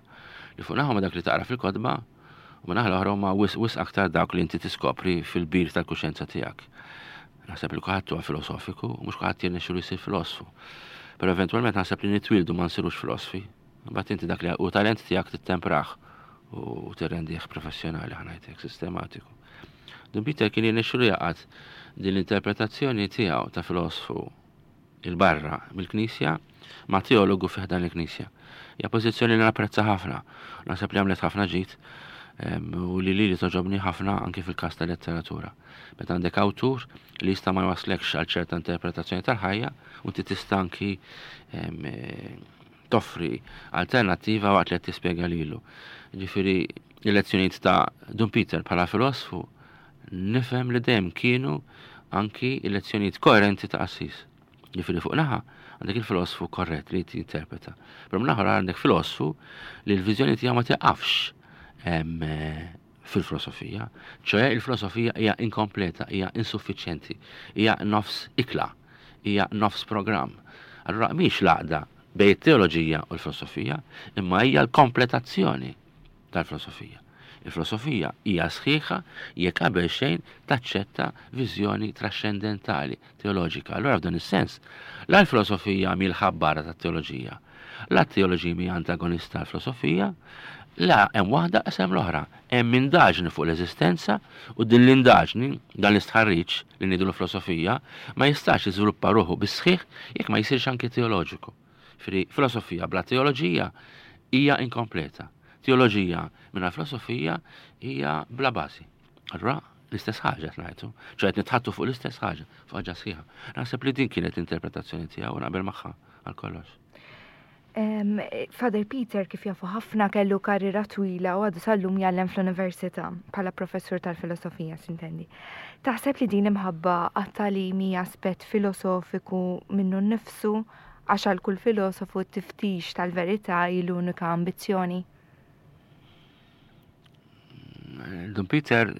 li fuq naħa dak li taqra fil-kotba, u ma naħa l-oħra huma wisq wisq aktar dawk li inti tiskopri fil-bir tal-kuxjenza tiegħek. Naħseb li kulħadd huwa filosofiku, u mhux kulħadd jirnexxielu jsir filosfu. Però eventwalment naħseb li nitwildu ma nsirux filosfi. Mbagħad inti dak li hu talent tiegħek tittemprah u tirrendih professjonali ħa ngħidlek sistematiku. Dun Peter kien jirnexxielu jgħaqqad din l-interpretazzjoni tiegħu ta' filosfu il-barra mill-Knisja ma' teologu fi ħdan il-Knisja. Hija pożizzjoni li napprezza ħafna, naħseb li għamlet ħafna ġid u li li li togħġobni ħafna anki fil-każ ta' letteratura. Meta għandek awtur li jista' ma jwaslekx għal ċerta interpretazzjoni tal-ħajja u inti tista' anki toffri alternattiva waqt li qed tispjega lilu. Ġifieri il-lezzjonijiet ta' Dun Peter bħala filosfu nifhem li dejjem kienu anki il-lezzjonijiet koerenti ta' qassis. Ġifieri fuq naħa għandek il-filosfu korrett li jinterpreta. Però minn għandek filosfu li l-viżjoni tiegħu ma tieqafx fil-filosofija. ċoè il-filosofija hija inkompleta, hija insuffiċjenti, hija nofs ikla, hija nofs programm. Allura mhix l-għaqda bejn it-teoloġija u l-filosofija, imma hija l-kompletazzjoni tal-filosofija. Il-filosofija hija sħiħa jekk qabel xejn taċċetta viżjoni trascendentali teoloġika. Allura f'dan is-sens, la l-filosofija mhi l-ħabbara tat-teoloġija, la t-teoloġija mhi antagonista tal-filosofija, la hemm waħda qas hemm l-oħra. Hemm indaġni fuq l-eżistenza u din l-indaġni, dan l-istħarriġ li ngħidu l-filosofija, ma jistax jiżviluppa ruħu bis-sħiħ jekk ma jsirx anki teoloġiku. Fri filosofija bla teoloġija hija inkompleta. Teoloġija mingħajr filosofija hija bla bażi. Allura l-istess ħaġa qed ngħidu, ċoè qed nitħattu fuq l-istess ħaġa, fuq ħaġa sħiħa. Naħseb li din kienet interpretazzjoni tiegħu u naqbel magħha għal kollox. Father Peter kif jafu ħafna kellu karriera twila u għadu sal-lum jgħallem fl-università bħala professur tal-filosofija sintendi. Taħseb li din imħabba għat-tagħlim hija aspett filosofiku minnu nnifsu għax għal kull filosofu t-tiftix tal-verità hi l-unika ambizzjoni? Dun Peter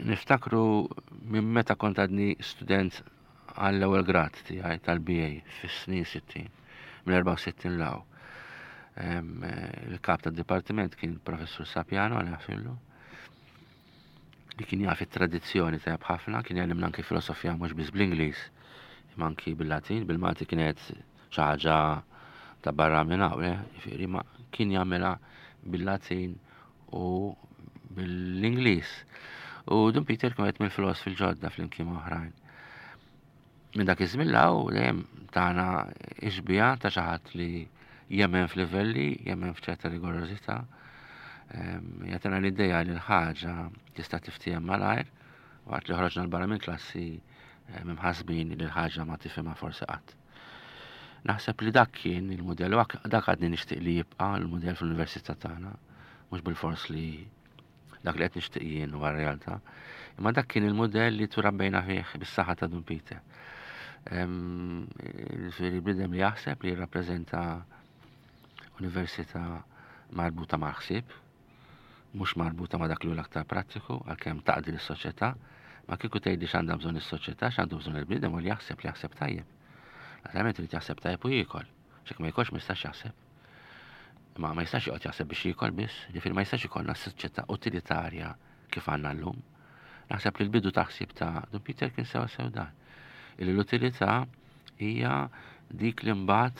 niftakru minn meta kont għadni student għall-ewwel grad tiegħi tal-B A fis-snin sittin, mill-erbgħa u sittin law. Il-kap tad-dipartiment kien professur Sapiano għal fillu, li kien jaf it-tradizzjoni tajjeb ħafna, kien jgħallimna anki filosofija mhux biss bl-Ingliż, imma anki bil-Latin, bil-Malti kienet xi ħaġa ta' barra minn hawn, eh, jiġifieri, ma kien jagħmilha bil-Latin u bil-Ingliż. U Dun Peter kien wieħed mill-filosfi l-ġodda flimkien ma' oħrajn. Minn dak iż-żmien 'l hawn dejjem tagħna ixbija ta' xi ħadd li jemmen f'livelli, jemmen f'ċerta rigorożità. Jagħtina l-idea li l-ħaġa tista' tiftiehem malajr, waqt li ħroġna l-barra minn klassi imħassbin li l-ħaġa ma tifhimha forsi qatt. Naħseb li dak kien il-mudell, u dak għadni nixtieq li jibqa' l-mudell fl-università tagħna, mhux bilfors li dak li qed nixtieq jien huwa r-realtà, Imma dak kien il-modell li turabbejna fih bis-saħħa ta' Dun Peter. Ġifieri bniedem li jaħseb li jirrappreżenta università marbuta mal-ħsieb, mhux marbuta ma' dak li hu l-aktar prattiku, għalkemm taqdi lis-soċjetà, ma kieku tgħidli x'għandha bżonn is-soċjetà, x'għandu bżonn il-bniedem u li jaħseb li jaħseb tajjeb. Naturalment irid jaħseb tajjeb u jiekol. X'hekk ma jikolx ma jistax jaħseb. Ma ma jistax joqgħod jaħseb biex jiekol biss, ġifieri ma jistax ikollna soċjetà utilitarja kif għandna llum. Naħseb li l-bidu ta' ħsieb ta' Dun Peter kien sewa sew dan. Illi l-utilità hija dik li mbagħad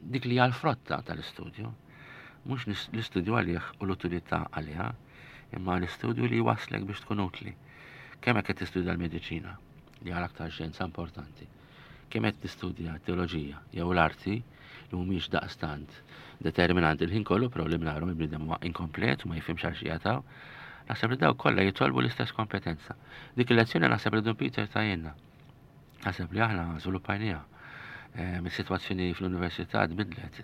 dik li hija l-frotta tal-istudju. Mhux l-istudju għalih u l-utilità għaliha, imma l-istudju li waslek biex tkun utli. Kemm hekk qed tistudja l-mediċina, li għal aktar xjenza importanti. Kemm qed tistudja teoloġija jew l-arti li mhumiex daqstant determinanti l-ħin kollu, però li mingħajrhom il-bniedem huwa inkomplet u ma jifhimx għal xi jataw. Naħseb li dawk kollha jitolbu l-istess kompetenza. Dik il-lezzjoni naħseb li Dun Peter tajjenna. Naħseb li aħna żviluppajniha. Is-sitwazzjoni fl-università tbidlet,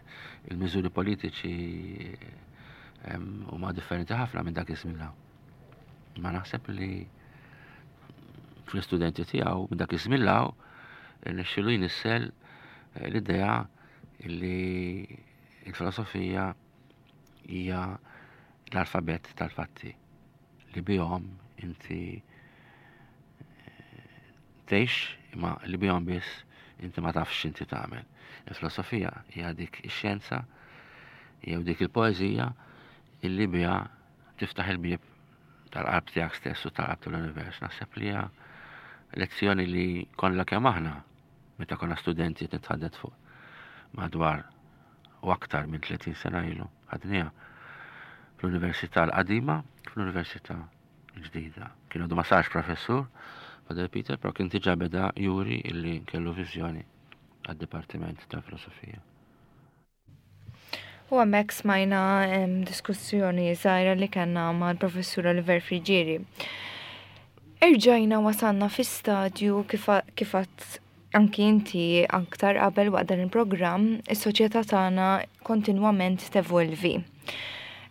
il-miżuri politiċi huma differenti ħafna minn dak iż-żmien hawn. Ma naħseb li fl-istudenti tiegħu minn dak iż-żmien hawn irnexxielu jnissel l-idea li l-filosofija hija l-alfabett tal-fatti li bihom inti tgħix imma li bihom biss inti ma tafx x'inti tagħmel. Il-filosofija hija dik ix-xjenza jew dik il-poeżija illi biha tiftaħ il-bieb tal-qalb tiegħek stess u tal-qalb tal-univers. Naħseb li hija lezzjoni li konna kemm aħna meta konna studenti nitħaddet fuq madwar u aktar minn tletin sena ilu ħadniha fl-Università l-qadima, fl-Università l-ġdida. Kien għadu ma sarx professur, Father Peter, però kien diġà beda juri illi kellu viżjoni għad-Dipartiment ta' Filosofija. U hemmhekk smajna diskussjoni żgħira li kellna mal-Professur Oliver Friggieri. Erġajna wasalna fi stadju kif għadt anki inti aktar qabel waqt dan il-programm, is-soċjetà tagħna kontinwament tevolvi.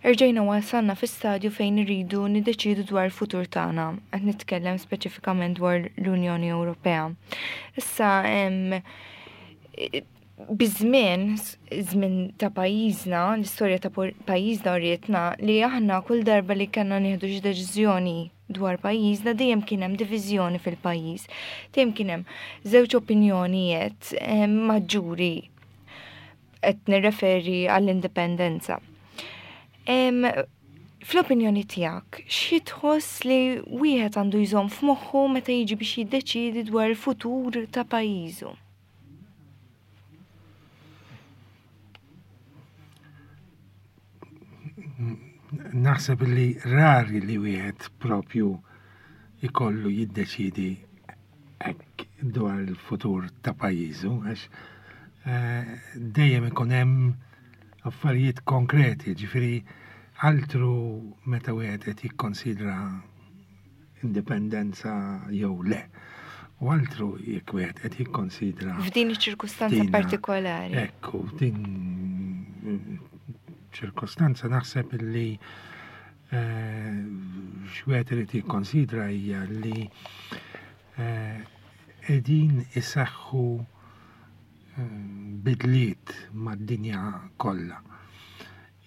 Erġajna wasalna fi stadju fejn irridu niddeċidu dwar il-futur tagħna, qed nitkellem speċifikament dwar l-Unjoni Ewropea. Issa biż-żmien, żmien ta' pajjiżna, l-istorja ta' pajjiżna urietna li aħna kull darba li kellna nieħdu xi deċiżjoni dwar pajjiżna dejjem kien hemm diviżjoni fil-pajjiż. Dejjem kien hemm żewġ opinjonijiet maġġuri qed nirreferi għall-indipendenza. Fl-opinjoni tiegħek, xi tħoss li wieħed għandu jżomm f'moħħu meta jiġi biex jiddeċiedi dwar il-futur ta' pajjiżu? Naħseb li rari li wieħed propju ikollu jiddeċidi hekk dwar il-futur ta' pajjiżu, għax dejjem ikun hemm affarijiet konkreti, ġifieri altru meta wieħed qed jikkonsidra indipendenza jew le. U altru jekk wieħed qed jikkonsidra f'din iċ-ċirkustanza partikolari. Ekku, f'din ċirkostanza naħseb li x'wieħed irid jikkonsidra hija li qegħdin isaħħu bidliet mad-dinja kollha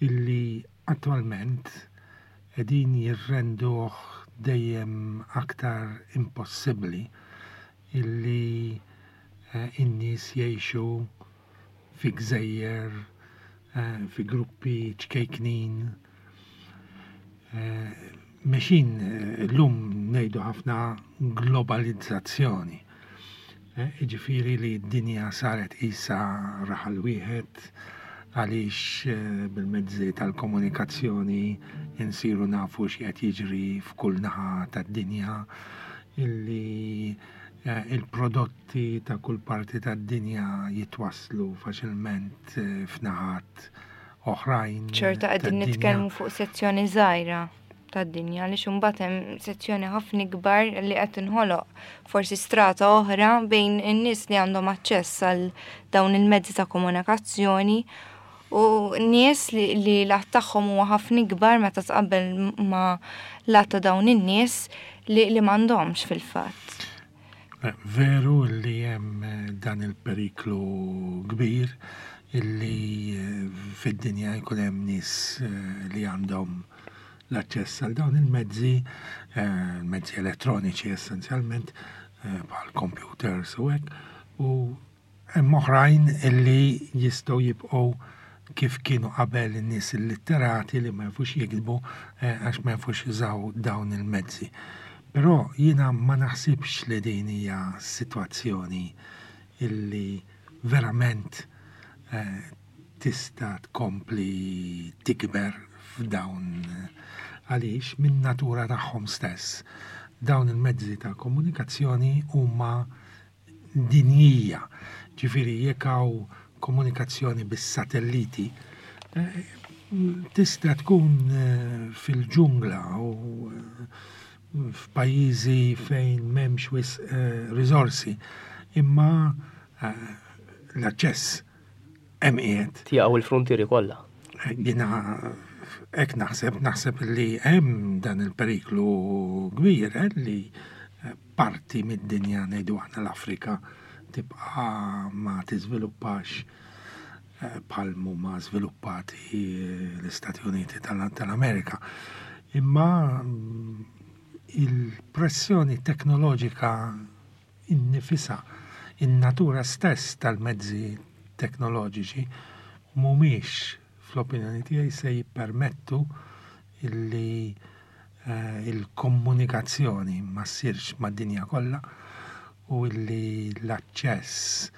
illi attwalment qegħdin jirrenduh dejjem aktar impossibbli illi in-nies jgħixu fi gżejjer, fi gruppi ċkejknin. Mexin llum ngħidu ħafna globalizzazzjoni. Jiġifieri li d-dinja saret qisha raħal wieħed għaliex bil-mezzi tal-komunikazzjoni insiru nafu x'qed jiġri f'kull naħa tad-dinja, illi il-prodotti ta' kull parti tad-dinja jitwasslu faċilment f'naħat oħrajn. Ċerta qegħdin nitkellmu fuq sezzjoni żgħira tad-dinja, għaliex imbagħad hemm sezzjoni ħafna kbar li qed tinħoloq forsi strata oħra bejn in-nies li għandhom aċċess għal dawn il-mezzi ta' komunikazzjoni U nies li, li l-għadd tagħhom huwa ħafna ikbar meta tqabbel ma' l-għadd ta' dawn in-nies li, li m'għandhomx fil-fatt. Eh, veru li hemm eh, dan il-periklu kbir illi eh, fid-dinja jkun hemm nies li għandhom l-aċċess għal dawn il-mezzi, mezzi elettroniċi essenzjalment, bħal computers u hekk, u hemm oħrajn illi jistgħu jibqgħu kif kienu qabel, in-nies illitterati li ma jafux jiktbu għax ma jafux jużaw dawn il-mezzi. Però jiena ma naħsibx li din hija sitwazzjoni illi verament eh, tista' tkompli tikber f'dawn, għaliex minn natura tagħhom stess dawn il-mezzi ta' komunikazzjoni huma dinjija. Ġifieri jekk hawn komunikazzjoni bis-satelliti, eh, tista' tkun eh, fil-ġungla u f'pajjiżi fejn m'hemmx wisq eh, riżorsi, imma eh, l-aċċess hemm qiegħed. Jaqgħu il-frontieri kollha. Jiena hekk naħseb, naħseb li hemm dan il-periklu kbir eh, li parti mid-dinja, ngħidu aħna l-Afrika, tibqa' ma tiżviluppax bħal ma żviluppati l-Istati Uniti tal-Amerika. Imma il-pressjoni teknoloġika innifisha, in-natura stess tal-mezzi teknoloġiċi mhumiex, fl-opinjoni tiegħi, se jippermettu illi eh, il-komunikazzjoni ma ssirx mad-dinja kollha u illi l-aċċess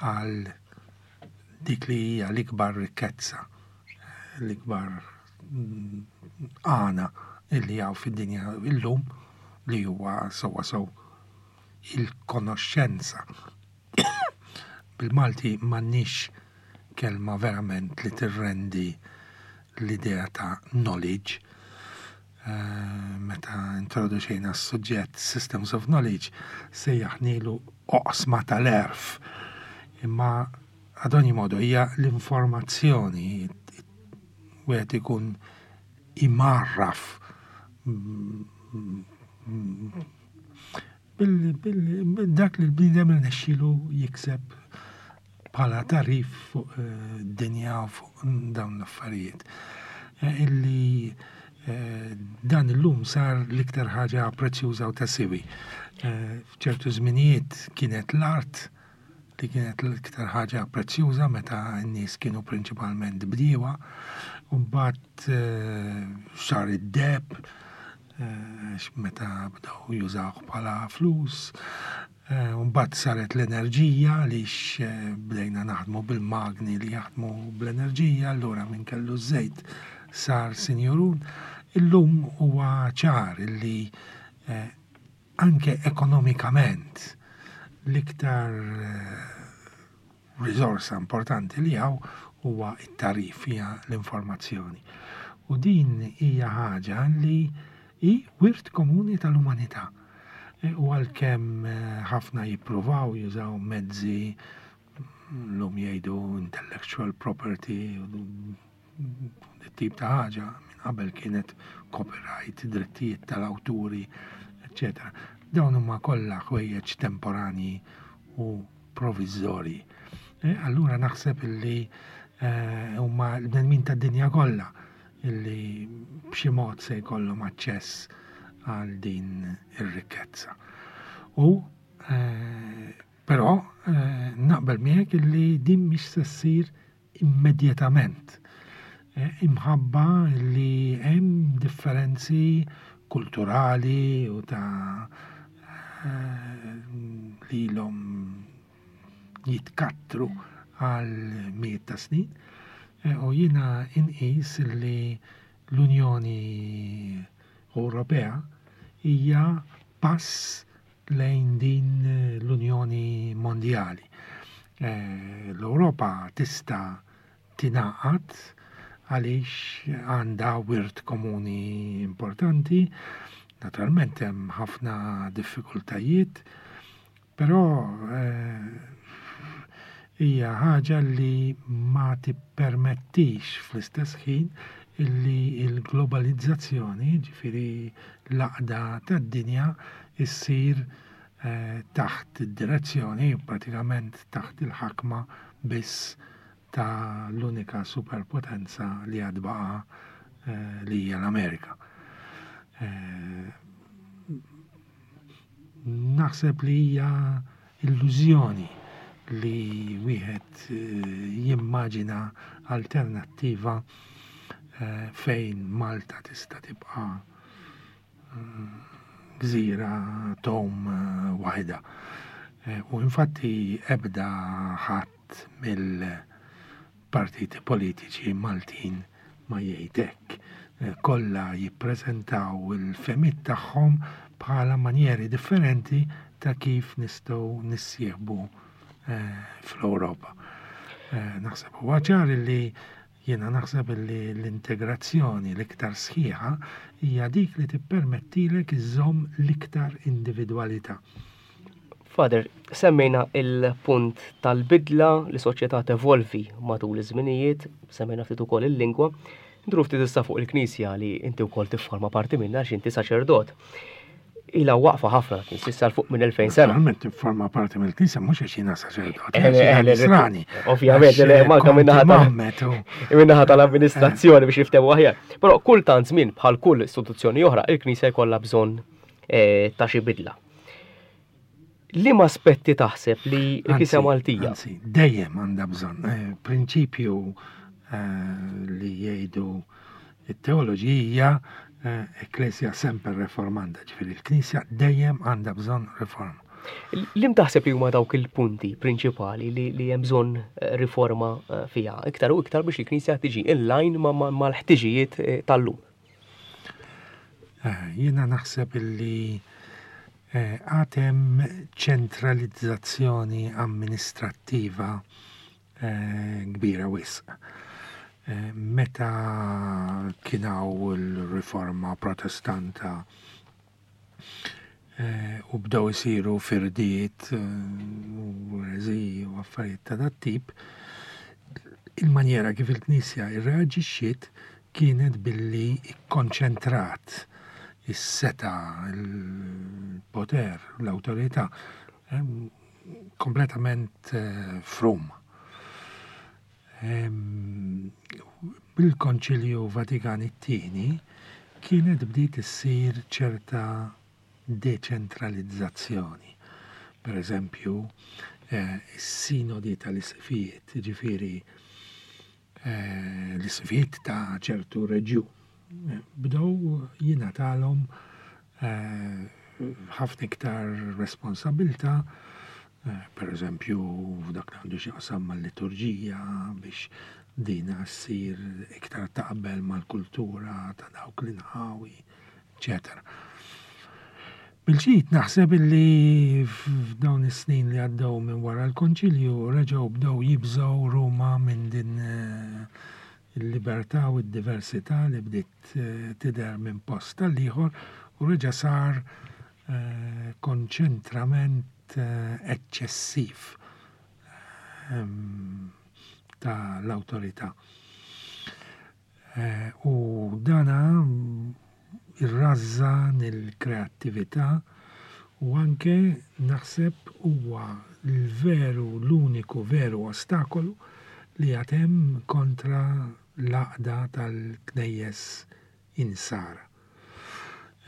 għal dik li hija l-ikbar rikkezza, l-ikbar mm, għana illi hawn fid-dinja illum, li huwa sewwa sew il-konoxxenza. Bil-Malti m'għandniex kelma verament li tirrendi l-idea ta' knowledge. Uh, meta introduċejna s-suġġett Systems of Knowledge, sejjaħnilu oqsma tal-għerf. Imma ad ogni modo hija l-informazzjoni, wieħed ikun imgħarraf bil dak li l-bniedem rnexxielu jikseb bħala tagħrif fuq eh, dinja u fuq dawn l-affarijiet. Eh, illi eh, dan illum sar l-iktar ħaġa prezzjuża u ta' siwi. F'ċertu żminijiet kienet l-art li kienet l-iktar ħaġa prezzjuża meta n-nies kienu prinċipalment bdiewa, u mbagħad sar id-deheb meta bdew jużawh bħala flus, mbagħad saret l-enerġija għaliex bdejna naħdmu bil-magni li jaħdmu bl-enerġija, allura min kellu żejt sar sinjurun. Illum huwa ċar illi anke ekonomikament l-iktar risorsa importanti li hawn huwa it-tagħrif, hija l-informazzjoni. U din hija ħaġa li hi wirt komuni tal-umanità. U għalkemm ħafna jippruvaw jużaw mezzi, llum jgħidu intellectual property, tip ta' ħaġa, minn qabel kienet copyright, drittijiet tal-awturi, eccetera. Dawn huma kollha ħwejjeġ temporani u provviżorji. E, allura naħseb illi huma l-bnedmin tad-dinja kollha illi b'xi mod se jkollhom aċċess għal din ir-rikkezza. U però naqbel miegħek illi din mhix se ssir immedjatament. Imħabba li hemm differenzi kulturali u ta' li ilhom jitkattru għal mijiet ta' snin. U jiena inqis li l-Unjoni Ewropea hija pass lejn din l-Unjoni Mondjali. L-Ewropa tista' tingħaqad għaliex għandha wirt komuni importanti. Naturalment hemm ħafna diffikultajiet, però Hija ħaġa li ma tippermettix fl-istess ħin illi l-globalizzazzjoni, ġifieri l-għaqda tad-dinja, issir eh, taħt id-direzzjoni, pratikament taħt il-ħakma biss ta' l-unika superpotenza li għad baqa' eh, li hija l-Amerika. Eh, naħseb li hija illużjoni li wieħed jimmaġina alternattiva fejn Malta tista' tibqa' gżira tom waħda. U infatti ebda ħadd mill-partiti politiċi Maltin ma jgħid hekk. Kollha jippreżentaw il-fehmiet tagħhom bħala manjeri differenti ta' kif nistgħu nissieħbu fl-Ewropa. Naħseb huwa ċar li jiena naħseb li l-integrazzjoni l-iktar sħiħa hija dik li tippermettilek iżżomm l-iktar individwalità. Father, semmejna il-punt tal-bidla li soċjetà tevolvi matul iż-żminijiet, semmejna ftit ukoll il-lingwa. Nduru ftit issa fuq il-Knisja li inti wkoll tifforma parti minnha għax inti saċerdot. Ilha waqfa ħafna l-Knisja, issa fuq minn elfejn sena. Naturalment tifforma parti mill-Knisja mhux għax jiena saċerdot, Eh, għax jiena eh, eh, Nisrani. Ovvjament, Għax, le, manka kont min-naħa tal- imgħammed u- Min-naħa tal-amministrazzjoni biex niftehmu aħjar. Però kull tant żmien bħal kull istituzzjoni oħra, il-Knisja jkollha bżonn eh, ta' xi bidla. Liema aspetti taħseb li l-Knisja Anzi, Maltija? Anzi, dejjem għandha bżonn. Eh, prinċipju eh, li jgħidu it-teoloġija eh, Ecclesia semper reformanda, ġifieri l-Knisja dejjem għandha bżonn riforma. Liem taħseb li huma dawk il-punti prinċipali li, li hemm bżonn eh, riforma eh, fiha, iktar u iktar biex il-Knisja tiġi in line ma- ma- mal-ħtiġijiet eh, tal-lum? Eh, Jiena naħseb illi eh, għad hemm ċentralizzazzjoni amministrattiva eh, kbira wisq. Eh, Meta kien hawn il-riforma protestanta eh, u bdew isiru firdiet eh, u ereżiji u affarijiet ta' dat tip, il-manjera kif il-Knisja irreaġixxiet kienet billi ikkonċentrat is-setgħa, il-poter, l-awtorità eh, kompletament eh, f'Ruma. Em, Bil-Konċilju Vatikan it-tieni kienet bdiet issir ċerta deċentralizzazzjoni. Per eżempju, eh, is-sinodi tal-isqfijiet, ġifieri eh, l-isqfijiet ta' ċertu reġjun, eh, bdew jingħatalhom eh, ħafna iktar responsabilità, eh, per eżempju, f'dak li għandu x'jaqsam mal-liturġija biex dina ssir iktar taqbel mal-kultura ta' dawk l-inħawi, eċetera. Bil-ġdid naħseb illi f'dawn is-snin li għaddew minn wara l-Konċilju reġgħu bdew jibżgħu Ruma minn din eh, il-libertà u d-diversità li bdiet eh, tidher minn post tal-ieħor u reġa' sar eh, konċentrament eh, eċċessiv ehm, ta' l-awtorità. Eh, U dana irrażżan il-kreattività u anke naħseb huwa l-veru, l-uniku veru ostakolu li għad hemm kontra l-għaqda tal-knejjes insara.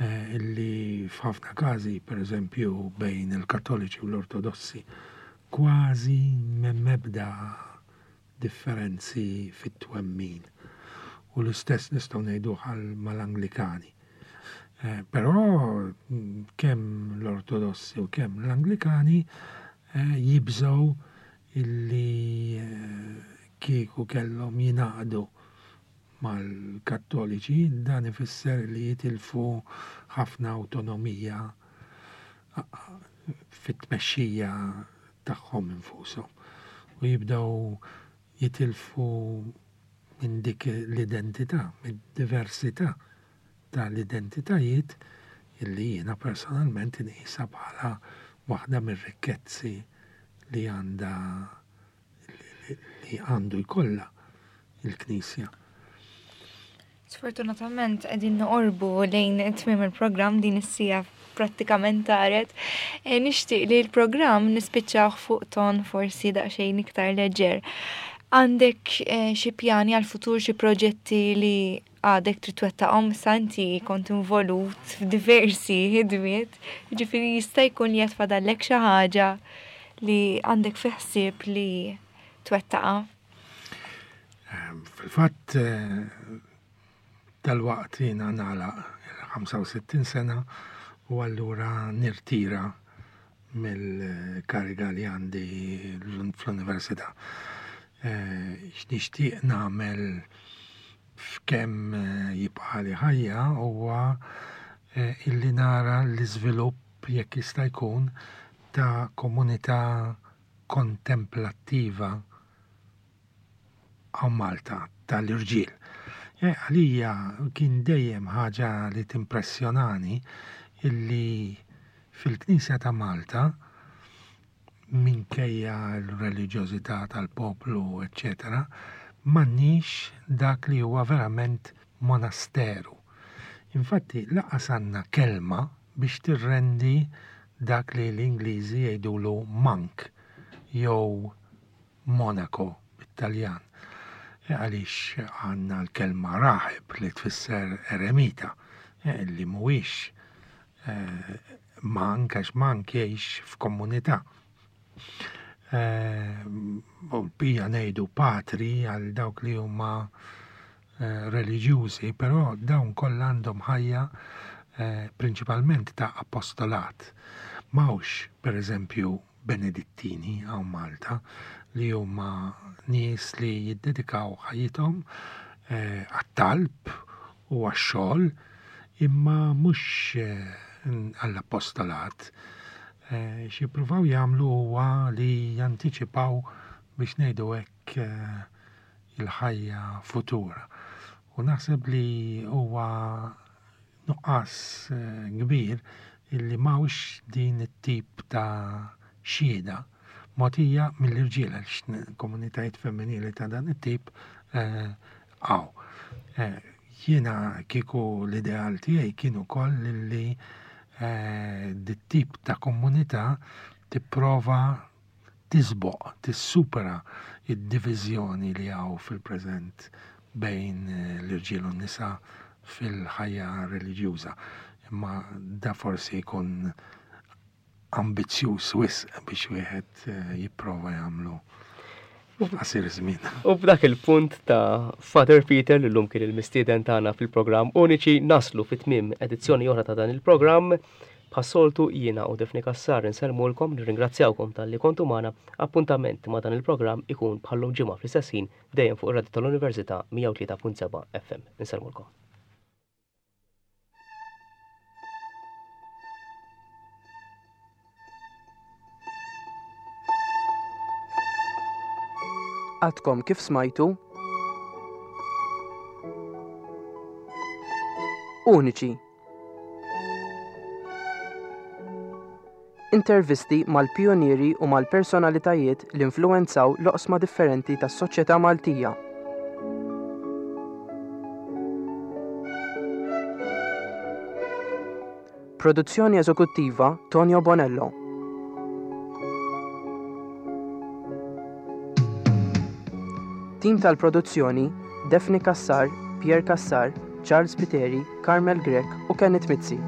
Eh, illi f'ħafna każi, per eżempju, bejn il-Kattoliċi u l-Ortodossi, kważi m'hemm ebda differenzi fit-twemmin. U l-istess nistgħu ngħidu mal-Anglikani. Eh, però mm, kemm l-Ortodossi u kemm l-Anglikani eh, jibżgħu illi eh, kieku kellhom jingħaqdu mal-Kattoliċi, dan ifisser li jitilfu ħafna awtonomija fit-tmexxija tagħhom infushom u jibdew jitilfu minn dik l-identità, mid-diversità tal-identitajiet illi jiena personalment inqisha bħala waħda mir-rikkezzi li għandha li għandu jkollha il-Knisja. Sfortunatament qegħdin noqorbu lejn tmiem il-programm, din is-siegħa prattikament taret. E, nixtieq li l-programm nispiċċaw fuq ton forsi daqsxejn iktar leġer. Għandek eh, xi pjani għal-futur, xi proġetti li għadek trid twettaqhom? Sa inti kont involut f'diversi ħidmiet, jiġifieri jista' jkun li qed fadallek xi ħaġa li għandek fi ħsieb li twettaqha. Ehm, fil-fatt eh, dal-waqt jiena nagħlaq il-ħamsa u sittin sena u allura nirtira mill-kariga li għandi fl-università. Eh, x'nixtieq nagħmel f'kemm eh, jibqa' ħajja huwa eh, illi nara l-iżvilupp, jekk jista' jkun, ta' komunità kontemplattiva hawn Malta tal-irġiel. Għalija kien dejjem ħaġa li timpressjonani illi fil-Knisja ta' Malta, minkejja l-reliġjożità tal-poplu, eccetera, m'għandniex dak li huwa verament monasteru. Infatti, lanqas għandna kelma biex tirrendi dak li l-Ingliżi jgħidulu monk jew monaco bit-Taljan. E għaliex għandna l-kelma raħib li tfisser eremita, e li mhuwiex e, monk, għax monk jgħix f'komunità. U l-bqija ngħidu patri għal dawk li huma eh, reliġjużi, però dawn kollha għandhom ħajja eh, prinċipalment ta' apostolat. M'hawnx, per eżempju, Benedittini hawn Malta, li huma nies li jiddedikaw ħajjithom eh, għat-talb u għax-xogħol, imma mhux għall-apostolat. Eh, x'jippruvaw jagħmlu huwa li jantiċipaw, biex ngħidu hekk, eh, il-ħajja futura. U naħseb li huwa nuqqas eh, kbir illi m'hawnx din it-tip ta' xhieda mogħtija mill-irġiel, għax komunitajiet femminili ta' dan it-tip hawn. Jiena kieku l-ideal tiegħi kien ukoll li Eh, dit-tip ta' komunità tipprova tisboq, tissupera id-diviżjoni li hawn fil-preżent bejn eh, l-irġiel u n-nisa fil-ħajja reliġjuża. Imma da forsi jkun ambizzjuż wisq biex wieħed eh, jipprova jagħmlu f'qasir żmien. U b'dak il-punt ta' Father Peter, li llum kien il-mistieden tagħna fil-programm Uniċi, naslu fit-tmiem edizzjoni oħra ta' dan il-programm. Bħas-soltu, jiena u Daphne Cassar insellmulkom, nirringrazzjawkom talli kontu magħna. Appuntament ma' dan il-programm ikun bħal-lum ġimgħa fl-istess ħin, dejjem fuq ir-Radio tal-Università mija u tlieta punt seba' F M. Insellmulkom. Għadkom kif smajtu Uniċi. Intervisti mal-pionieri u mal-personalitajiet li influenzaw l-oqsma differenti tas-soċjetà Maltija. Produzzjoni eżekuttiva Tonio Bonello. Tim tal-produzzjoni: Daphne Cassar, Pierre Cassar, Charles Piteri, Carmel Grech u Kenneth Mizzi.